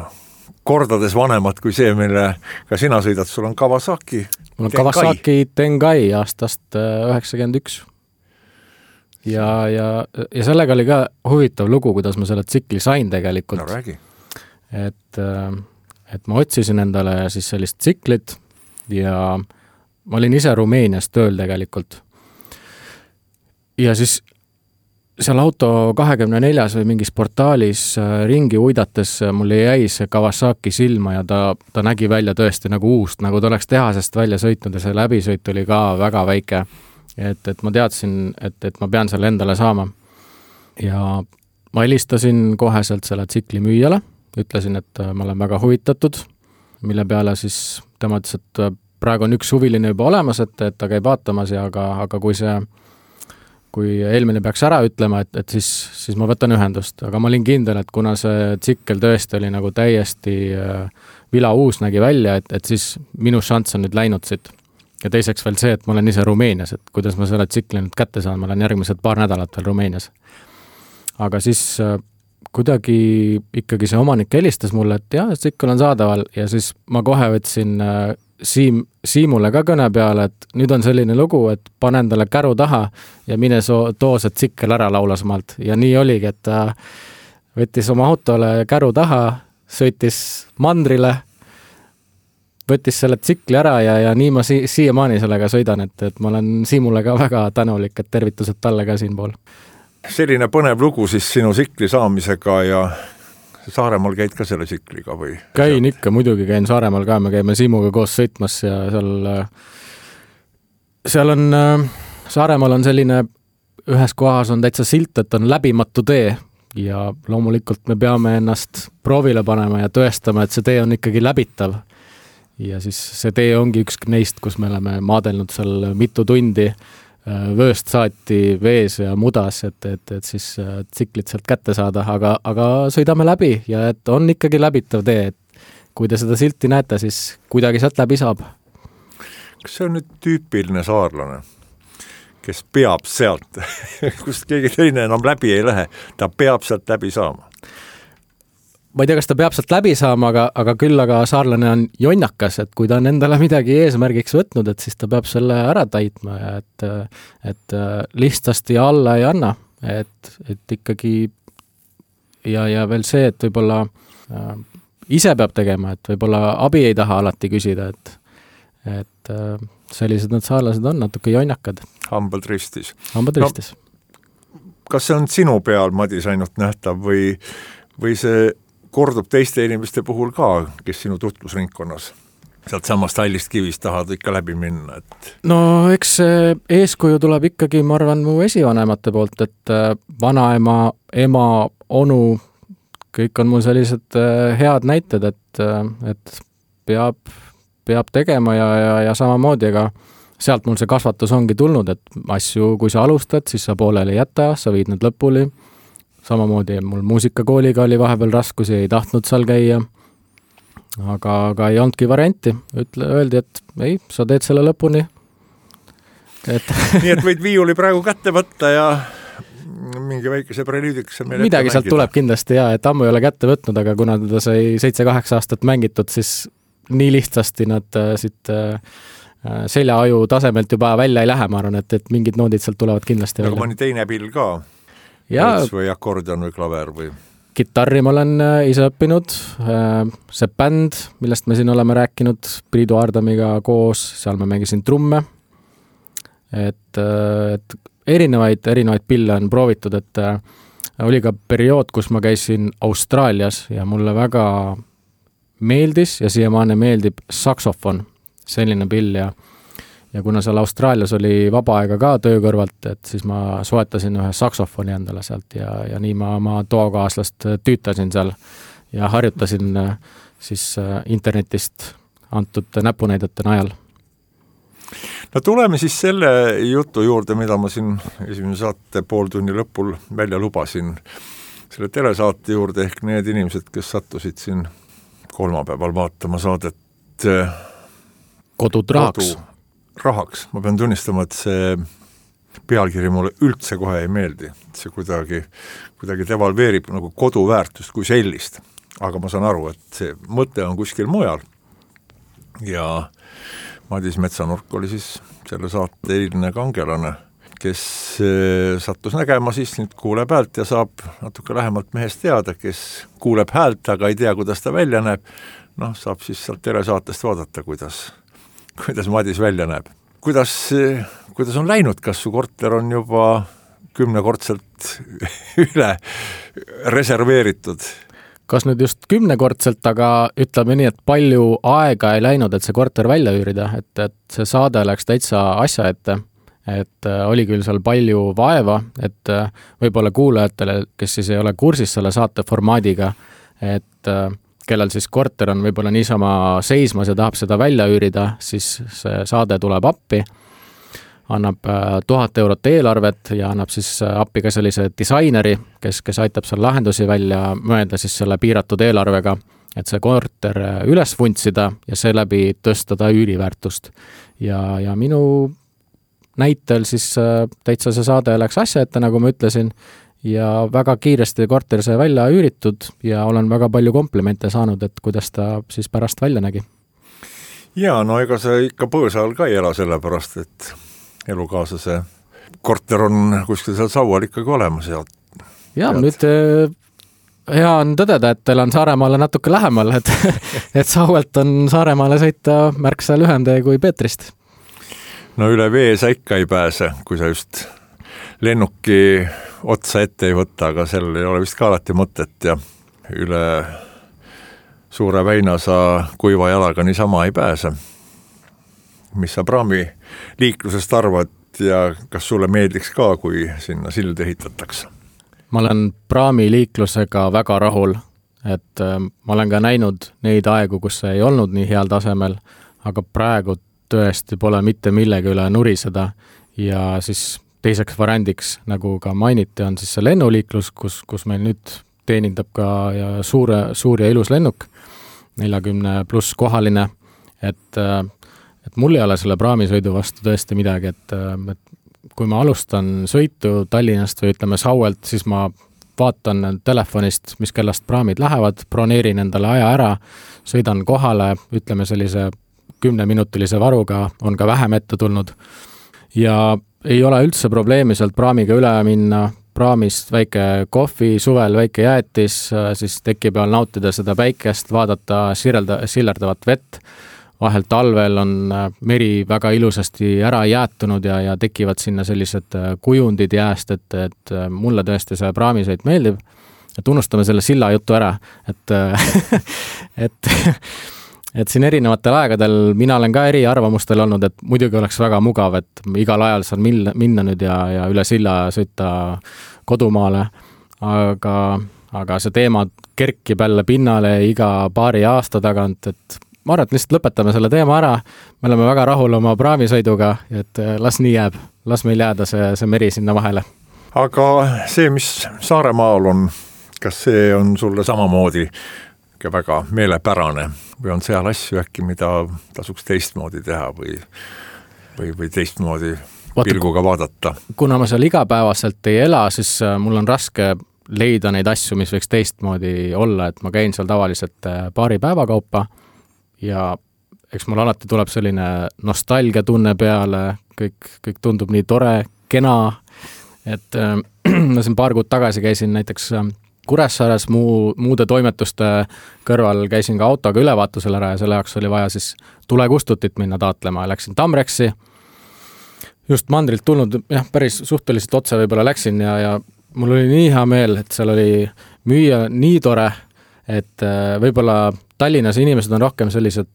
kordades vanemad kui see, mille ka sina sõidad. Sul on Kawasaki Mul on Kawasaki Tengai aastast 91. Ja sellega oli ka huvitav lugu, kuidas ma selle tsikli sain tegelikult. No räägi. Et ma otsisin endale siis sellist tsiklit ja ma olin ise Rumeenias tööl tegelikult. Ja siis seal auto 24 või mingis portaalis ringi uidates mulle jäi see Kawasaki silma ja ta nägi välja tõesti nagu uust, nagu ta oleks tehasest välja sõitnud ja see läbisõit oli ka väga väike. Et ma teadsin, et ma pean selle endale saama. Ja ma helistasin koheselt selle tsikli müüjale, ütlesin, et ma olen väga huvitatud, mille peale siis tema ütles, et praegu on üks huviline juba olemas, et ta käib vaatamas ja aga kui eelmine peaks ära ütlema, et siis ma võtan ühendust, aga ma olin kindel, et kuna see tsikkel tõesti oli nagu täiesti vila uus nägi välja, et siis minu šanss on nüüd läinud siit. Ja teiseks veel see, et ma olen ise Rumeenias, et kuidas ma selle tsikli nüüd kätte saan, ma olen järgmised paar nädalat veel Rumeenias. Aga siis kuidagi ikkagi see omanik helistas mulle, et jah, tsikkel on saadaval ja siis ma kohe võtsin Siimule ka kõne peale, et nüüd on selline lugu, et pane endale käru taha ja mine too see tsikkel ära laulas maalt. Ja nii oligi, et ta võttis oma autole käru taha, sõitis mandrile, võttis selle tsikli ära ja nii ma siiamaani sellega sõidan, et ma olen Siimule ka väga tänulik, et tervitused talle ka siin pool. Selline põnev lugu siis sinu tsikli saamisega ja Saaremaal käid ka selle tsikliga või? Käin ikka, muidugi käin Saaremaal ka, me käime Siimuga koos sõitmas ja seal on, Saaremaal on selline, ühes kohas on täitsa silt, et on läbimatu tee ja loomulikult me peame ennast proovile panema ja tõestama, et see tee on ikkagi läbitav. Ja siis see tee ongi üks neist, kus me oleme maadelnud seal mitu tundi vööst saati vees ja mudas, et siis tsiklit sealt kätte saada, aga sõidame läbi ja et on ikkagi läbitav tee, et kui te seda silti näete, siis kuidagi sealt läbi saab. Kas see on nüüd tüüpiline saarlane, kes peab sealt, kust keegi teine enam läbi ei lähe, ta peab sealt läbi saama? Ma ei tea, kas ta peab sealt läbi saama, aga küll aga saarlane on jonnakas, et kui ta on endale midagi eesmärgiks võtnud, et siis ta peab selle ära täitma ja et lihtsasti alla ei anna, et ikkagi ja veel see, et võib-olla ise peab tegema, et võib-olla abi ei taha alati küsida, et sellised need saarlased on natuke jonnakad. Hambad ristis. Hambad ristis. Kas see on sinu peal, Madis, ainult nähtav või see kordub teiste inimeste puhul ka, kes sinu tutvusringkonnas sealt samast hallist kivist tahavad ikka läbi minna, et no eks see eeskuju tuleb ikkagi, ma arvan, mu esivanemate poolt, et vanaema, ema, onu, kõik on mul sellised head näited, et peab tegema ja samamoodi, aga sealt mul see kasvatus ongi tulnud, et asju, kui sa alustad, siis sa pooleli ei jäta, sa viid need lõpuni. Samamoodi mul muusikakooliga oli vahepeal raskusi, ei tahtnud seal käia, aga ei olnudki varianti. Öeldi, et ei, sa teed selle lõpuni. Nii et võid viiuli praegu kätte võtta ja mingi väikese prelüüdiks midagi sealt tuleb kindlasti ja, et ammu ei ole kätte võtnud, aga kuna teda sai 7-8 aastat mängitud, siis nii lihtsasti nad siit seljaaju tasemelt juba välja ei lähe, ma arvan, et mingid noodid sealt tulevad kindlasti välja. Aga mõni teine pill ka? Või akordion või klaver või? Kitarri ma olen ise õppinud, see bänd, millest me siin oleme rääkinud Priidu Aardamiga koos, seal ma mängisin trumme, et erinevaid pille on proovitud, et oli ka periood, kus ma käisin Austraalias ja mulle väga meeldis ja siiamaani meeldib saksofon, selline pill ja kuna seal Austraalias oli vaba aega ka töö kõrvalt, et siis ma soetasin ühe saksofoni endale sealt ja nii ma oma toakaaslast tüütasin seal ja harjutasin siis internetist antud näpunäidete najal. No tuleme siis selle jutu juurde, mida ma siin esimene saate pooltunni lõpul välja lubasin. Selle telesaate juurde ehk need inimesed, kes sattusid siin kolmapäeval vaatama saadet Kodud rahaks. Ma pean tunnistama, et see pealkiri mulle üldse kohe ei meeldi. See kuidagi devalveerib nagu koduväärtust kui sellist. Aga ma saan aru, et see mõte on kuskil mujal. Ja Madis Metsanurk oli siis selle saate eilne kangelane, kes sattus nägema siis nüüd kuuleb häält ja saab natuke lähemalt mehest teada, kes kuuleb häält, aga ei tea, kuidas ta välja näeb. Saab siis sealt telesaatest vaadata, kuidas Madis välja näeb. Kuidas on läinud? Kas su korter on juba 10-kordselt üle reserveeritud? Kas nüüd just 10-kordselt, aga ütleme nii, et palju aega ei läinud, et see korter välja üürida, et see saade läks täitsa asja ette, et oli küll seal palju vaeva, et võib-olla kuulajatele, kes siis ei ole kursis selle saate formaadiga, et kellel siis korter on võib-olla niisama seismas ja tahab seda välja üürida, siis see saade tuleb appi, annab 1000 eurot eelarvet ja annab siis appi ka sellise disaineri, kes aitab seal lahendusi välja mõelda siis selle piiratud eelarvega, et see korter üles vuntsida ja seeläbi tõsta ta üüriväärtust. Ja minu näitel siis täitsa see saade läks asja ette, nagu ma ütlesin, ja väga kiiresti korter sai välja üüritud ja olen väga palju komplimente saanud, et kuidas ta siis pärast välja nägi. Ja, no ega sa ikka põõsal ka ei ela sellepärast, et elukaaslase korter on kuskil seal saual ikkagi olemas. Ja nüüd hea on tõdeda, et teil on Saaremaale natuke lähemal, et sauelt on Saaremaale sõita märksa lühemtee kui Peetrist. No üle vee sa ikka ei pääse, kui sa just lennuki otsa ette ei võtta, aga sellel ei ole vist ka alati mõtet ja üle Suure Väina sa kuiva jalaga niisama ei pääse. Mis sa praami liiklusest arvad ja kas sulle meeldiks ka, kui sinna sild ehitatakse? Ma olen praami liiklusega väga rahul, et ma olen ka näinud neid aegu, kus see ei olnud nii heal tasemel, aga praegu tõesti pole mitte millegi üle nuriseda ja siis teiseks variandiks, nagu ka mainiti, on siis see lennuliiklus, kus meil nüüd teenindab ka suur ja ilus lennuk, 40+ kohaline, et mul ei ole selle praamisõidu vastu tõesti midagi, et kui ma alustan sõitu Tallinnast või ütleme Sauelt, siis ma vaatan telefonist, mis kellast praamid lähevad, broneerin endale aja ära, sõidan kohale, ütleme sellise 10-minutilise varuga, on ka vähem ette tulnud ja ei ole üldse probleemi sealt praamiga üle minna, praamist väike kohvi, suvel väike jäätis, siis teki peal nautida seda päikest, vaadata sillerdavat vett. Vahel talvel on meri väga ilusasti ära jäätunud ja tekivad sinna sellised kujundid jääst, et mulle tõesti see praamisõit meeldib. et unustame selle silla jutu ära, et et siin erinevatel aegadel mina olen ka eri arvamustel olnud, et muidugi oleks väga mugav, et igal ajal saan minna nüüd ja üle silla sõita kodumaale, aga see teema kerkib jälle pinnale iga paari aasta tagant, et ma arvan, et lihtsalt lõpetame selle teema ära, me oleme väga rahul oma praamisõiduga, et las nii jääb, las meil jääda see meri sinna vahele. Aga see, mis Saaremaal on, kas see on sulle samamoodi väga meelepärane või on seal asju äkki, mida tasuks teistmoodi teha või teistmoodi pilguga vaadata? Kuna ma seal igapäevaselt ei ela, siis mul on raske leida neid asju, mis võiks teistmoodi olla, et ma käin seal tavaliselt paari päeva kaupa ja eks mul alati tuleb selline nostalgia tunne peale, kõik tundub nii tore, kena, et ma siin paar kuud tagasi käisin näiteks Kuressaares muude toimetuste kõrval käisin ka autoga ülevaatusel ära ja selle jaoks oli vaja siis tulekustutit minna taatlema ja läksin Tamreksi. Just mandrilt tulnud, päris suhteliselt otse võib-olla läksin ja mul oli nii hea meel, et seal oli müüa nii tore, et võib-olla Tallinnas inimesed on rohkem sellised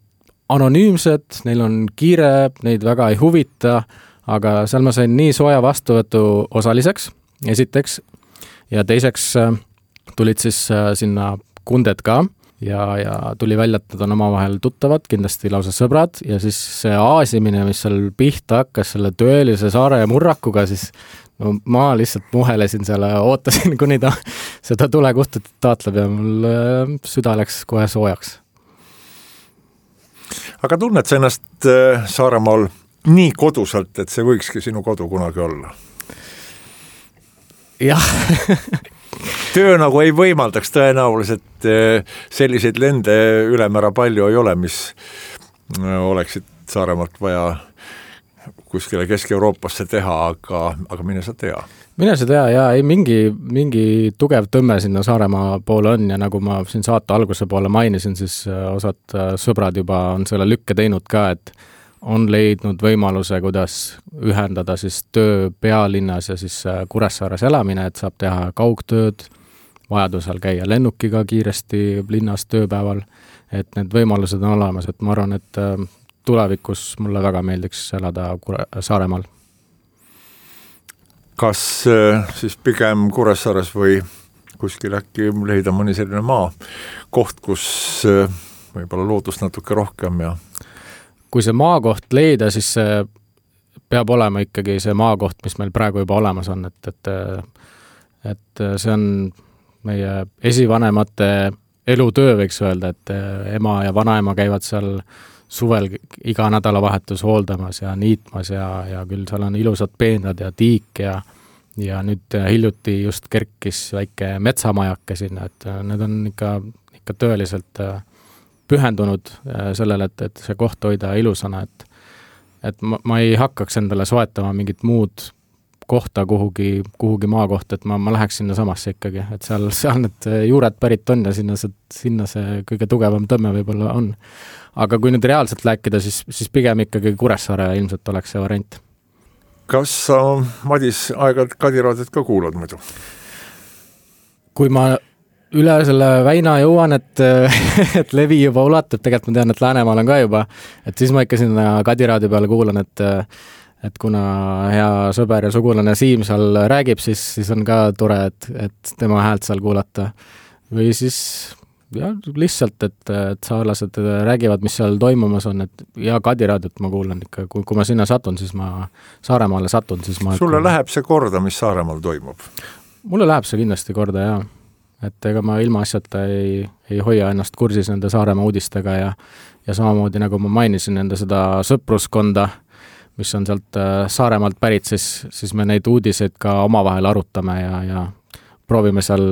anonüümsed, neil on kiire, neid väga ei huvita, aga seal ma sain nii sooja vastuvõtu osaliseks, esiteks, ja teiseks tulid siis sinna kunded ka ja tuli välja, et nad on omavahel tuttavad, kindlasti lausa sõbrad ja siis see aasimine, mis seal pihta hakkas selle tõelise saare murrakuga, siis no, ma lihtsalt muhelesin seal, ootasin, kuni ta seda tulekustutit taatleb ja mul süda läks kohe soojaks. Aga tunned sa ennast Saaremaal nii koduselt, et see võikski sinu kodu kunagi olla? Jah. Töö nagu ei võimaldaks tõenäoliselt selliseid lende ülemäära palju ei ole, mis oleksid Saaremaalt vaja kuskile Kesk-Euroopasse teha, aga mine sa tea. Mine sa tea, ja ei mingi tugev tõmme sinna Saaremaa poole on ja nagu ma siin saate alguse poole mainisin, siis osad sõbrad juba on selle lükke teinud ka, et on leidnud võimaluse, kuidas ühendada siis töö pealinnas ja siis Kuressaares elamine, et saab teha kaugtööd, vajadusel käia lennukiga kiiresti linnas tööpäeval, et need võimalused on olemas, et ma arvan, et tulevikus mulle väga meeldiks elada Saaremaal. Kas siis pigem Kuressaares või kuskil äkki leida mõni selline maa koht, kus võib-olla loodust natuke rohkem ja kui see maakoht leida, siis see peab olema ikkagi see maakoht, mis meil praegu juba olemas on, et see on meie esivanemate elutöö, võiks öelda, et ema ja vanaema käivad seal suvel iga nädalavahetus hooldamas ja niitmas ja küll seal on ilusad peenrad ja tiik ja nüüd hiljuti just kerkis väike metsamajake sinna, et need on ikka tõeliselt pühendunud sellele, et see koht hoida ilusana, et ma ei hakkaks endale soetama mingit muud kohta kuhugi maakohta, et ma läheks sinna samasse ikkagi, et seal need juured pärit on ja sinna see kõige tugevam tõmme võib-olla on. Aga kui nüüd reaalselt rääkida, siis pigem ikkagi Kuressaare ilmselt oleks see variant. Kas sa, Madis, aeg-ajalt Kadiraadiot ka kuulad muidu? Kui ma üle selle väina jõuan, et levi juba ulatub, tegelikult ma tean, et Läänemaal on ka juba, et siis ma ikka sinna Kadiraadio peale kuulan, et kuna hea sõber ja sugulane Siim seal räägib, siis on ka tore, et tema häält seal kuulata. Või siis lihtsalt, et saarlased räägivad, mis seal toimumas on, et ja Kadiraadiot ma kuulan ikka, kui ma sinna satun, siis ma Saaremaale satun, siis ma Sulle läheb see korda, mis Saaremaal toimub? Mulle läheb see kindlasti korda, jaa. Et ega ma ilma asjata ei hoia ennast kursis nende Saaremaa uudistega ja samamoodi nagu ma mainisin nende seda sõpruskonda, mis on sealt Saaremaalt pärit, siis me neid uudiseid ka omavahel arutame ja proovime seal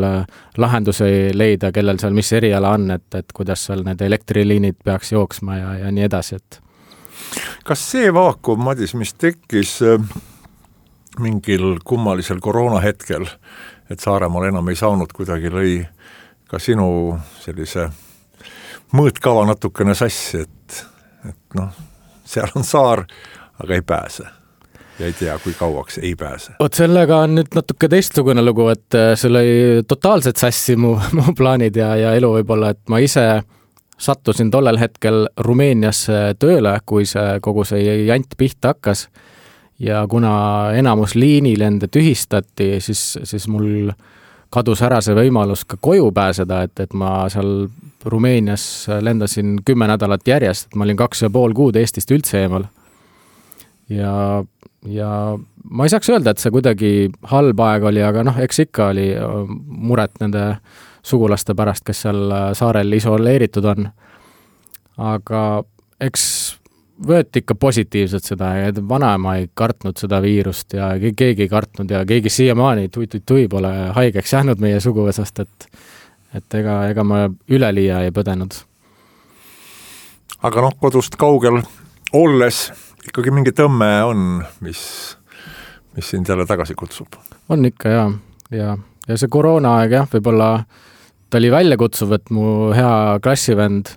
lahendusi leida, kellel seal mis eriala on, et kuidas seal need elektriliinid peaks jooksma ja nii edasi. Kas see vaakum, Madis, mis tekkis mingil kummalisel koroonahetkel, et Saaremaal enam ei saanud kuidagi lõi ka sinu sellise mõõtkava natukene sassi, et noh, seal on saar, aga ei pääse. ja ei tea, kui kauaks ei pääse. Oot, sellega on nüüd natuke teistsugune lugu, et see oli totaalselt sassi mu plaanid ja elu võib-olla, et ma ise sattusin tollel hetkel Rumeeniasse tööle, kui kogu see jant pihta hakkas ja kuna enamus liinilende tühistati, siis mul kadus ära see võimalus ka koju pääseda, et ma seal Rumeenias lendasin 10 nädalat järjest, et ma olin 2,5 kuud Eestist üldse eemal. Ja ma ei saaks öelda, et see kuidagi halb aeg oli, aga eks ikka oli muret nende sugulaste pärast, kes seal saarel isoleeritud on. Aga eks võeti ikka positiivselt seda, et vanaema ei kartnud seda viirust ja keegi ei kartnud ja keegi siiamaani tui pole haigeks jäänud meie suguvõsast, et ega ma üleliia ei põdenud. Aga kodust kaugel olles ikkagi mingi tõmme on, mis sind jälle tagasi kutsub. On ikka ja see koroonaaeg võib-olla ta oli välja kutsuv, et mu hea klassivend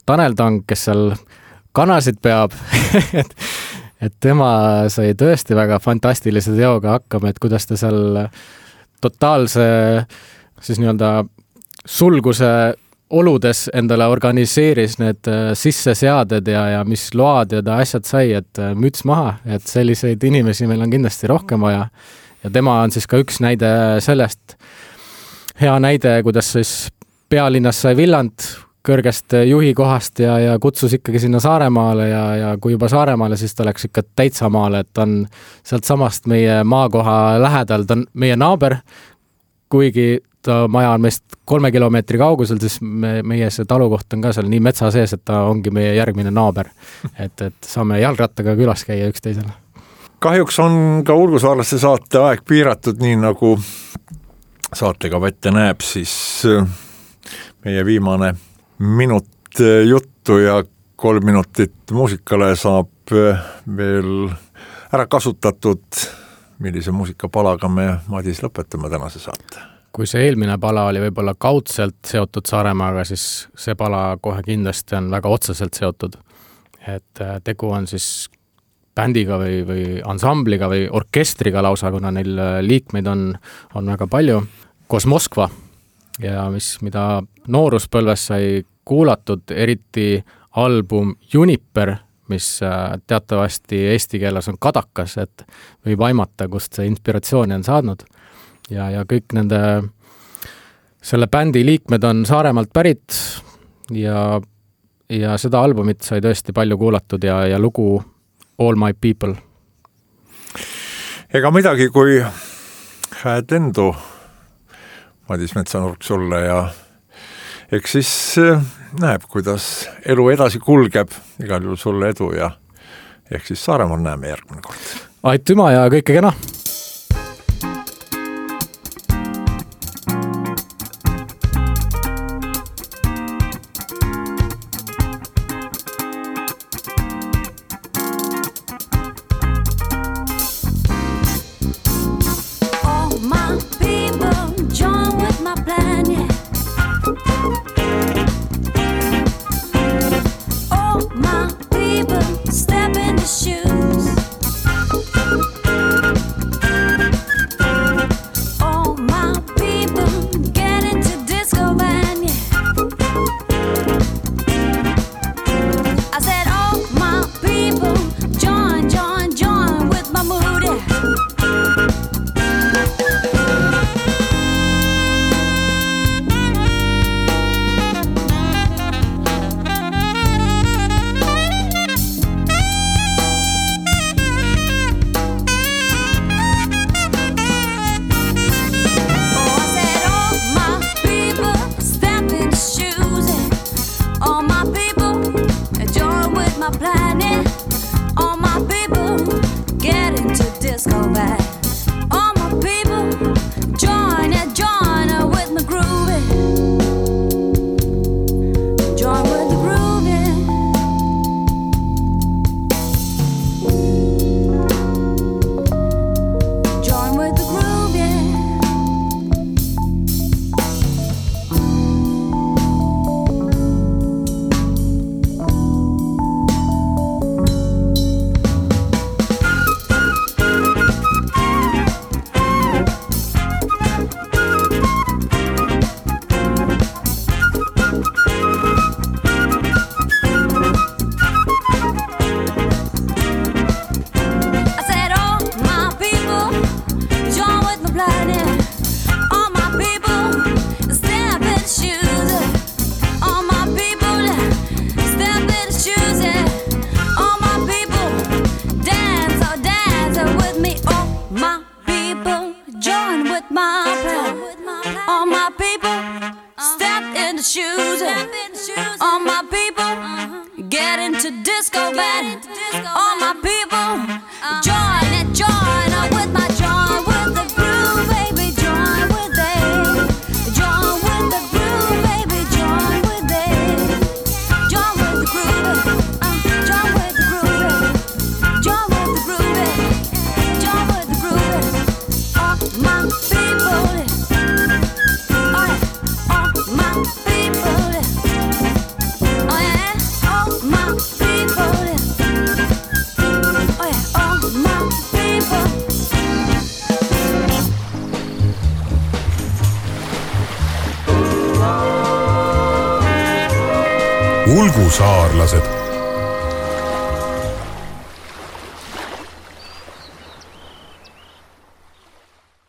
Tanel Tang, kes seal kanasid peab, et tema sai tõesti väga fantastilise teoga hakkama, et kuidas ta seal totaalse siis nii-öelda sulguse oludes endale organiseeris need sisseseaded ja mis load ja ta asjad sai, et müts maha, et selliseid inimesi meil on kindlasti rohkem vaja. Ja tema on siis ka üks näide sellest, hea näide, kuidas siis pealinnas sai Villand kõrgest juhi kohast ja kutsus ikkagi sinna Saaremaale ja kui juba Saaremaale, siis ta läks ikka täitsa maale, et on sealt samast meie maakoha lähedal, ta on meie naaber, kuigi ta maja on meist 3 kilomeetri kaugusel, siis meie see talukoht on ka seal nii metsa sees, et ta ongi meie järgmine naaber, et saame jalgrattaga külas käia üksteisele. Kahjuks on ka Ulgusaarlaste saate aeg piiratud, nii nagu saatega ette näeb, siis meie viimane minut juttu ja 3 minutit muusikale saab veel ära kasutatud. Millise muusikapalaga me, Madis, lõpetame tänase saate? Kui see eelmine pala oli võib-olla kaudselt seotud Saaremaaga, siis see pala kohe kindlasti on väga otseselt seotud. Et tegu on siis bändiga või ansambliga või orkestriga lausa, kuna neil liikmeid on väga palju. Koos Moskva ja mida nooruspõlves sai kuulatud, eriti album Juniper, mis teatavasti eesti keeles on kadakas, et võib aimata, kust see inspiratsiooni on saadnud. Ja kõik selle bändi liikmed on Saaremaalt pärit ja seda albumit sai tõesti palju kuulatud ja lugu All My People. Ega midagi, kui hääd endu, Madis Metsanurk sulle ja eks siis näeb, kuidas elu edasi kulgeb, igal juhul sulle edu ja eks siis Saaremaal näeme järgmine kord. Aitüma ja kõike kena! the shoes. All my people get into disco band. All my people join it, join up with my join with the groove, baby, join with it. Join with the groove, baby, join with it. Join with the groove, join with the groove, join with the groove, join with the groove. All my people, all my people, oh yeah, all my people, oh yeah, all my people. Ulgusaarlased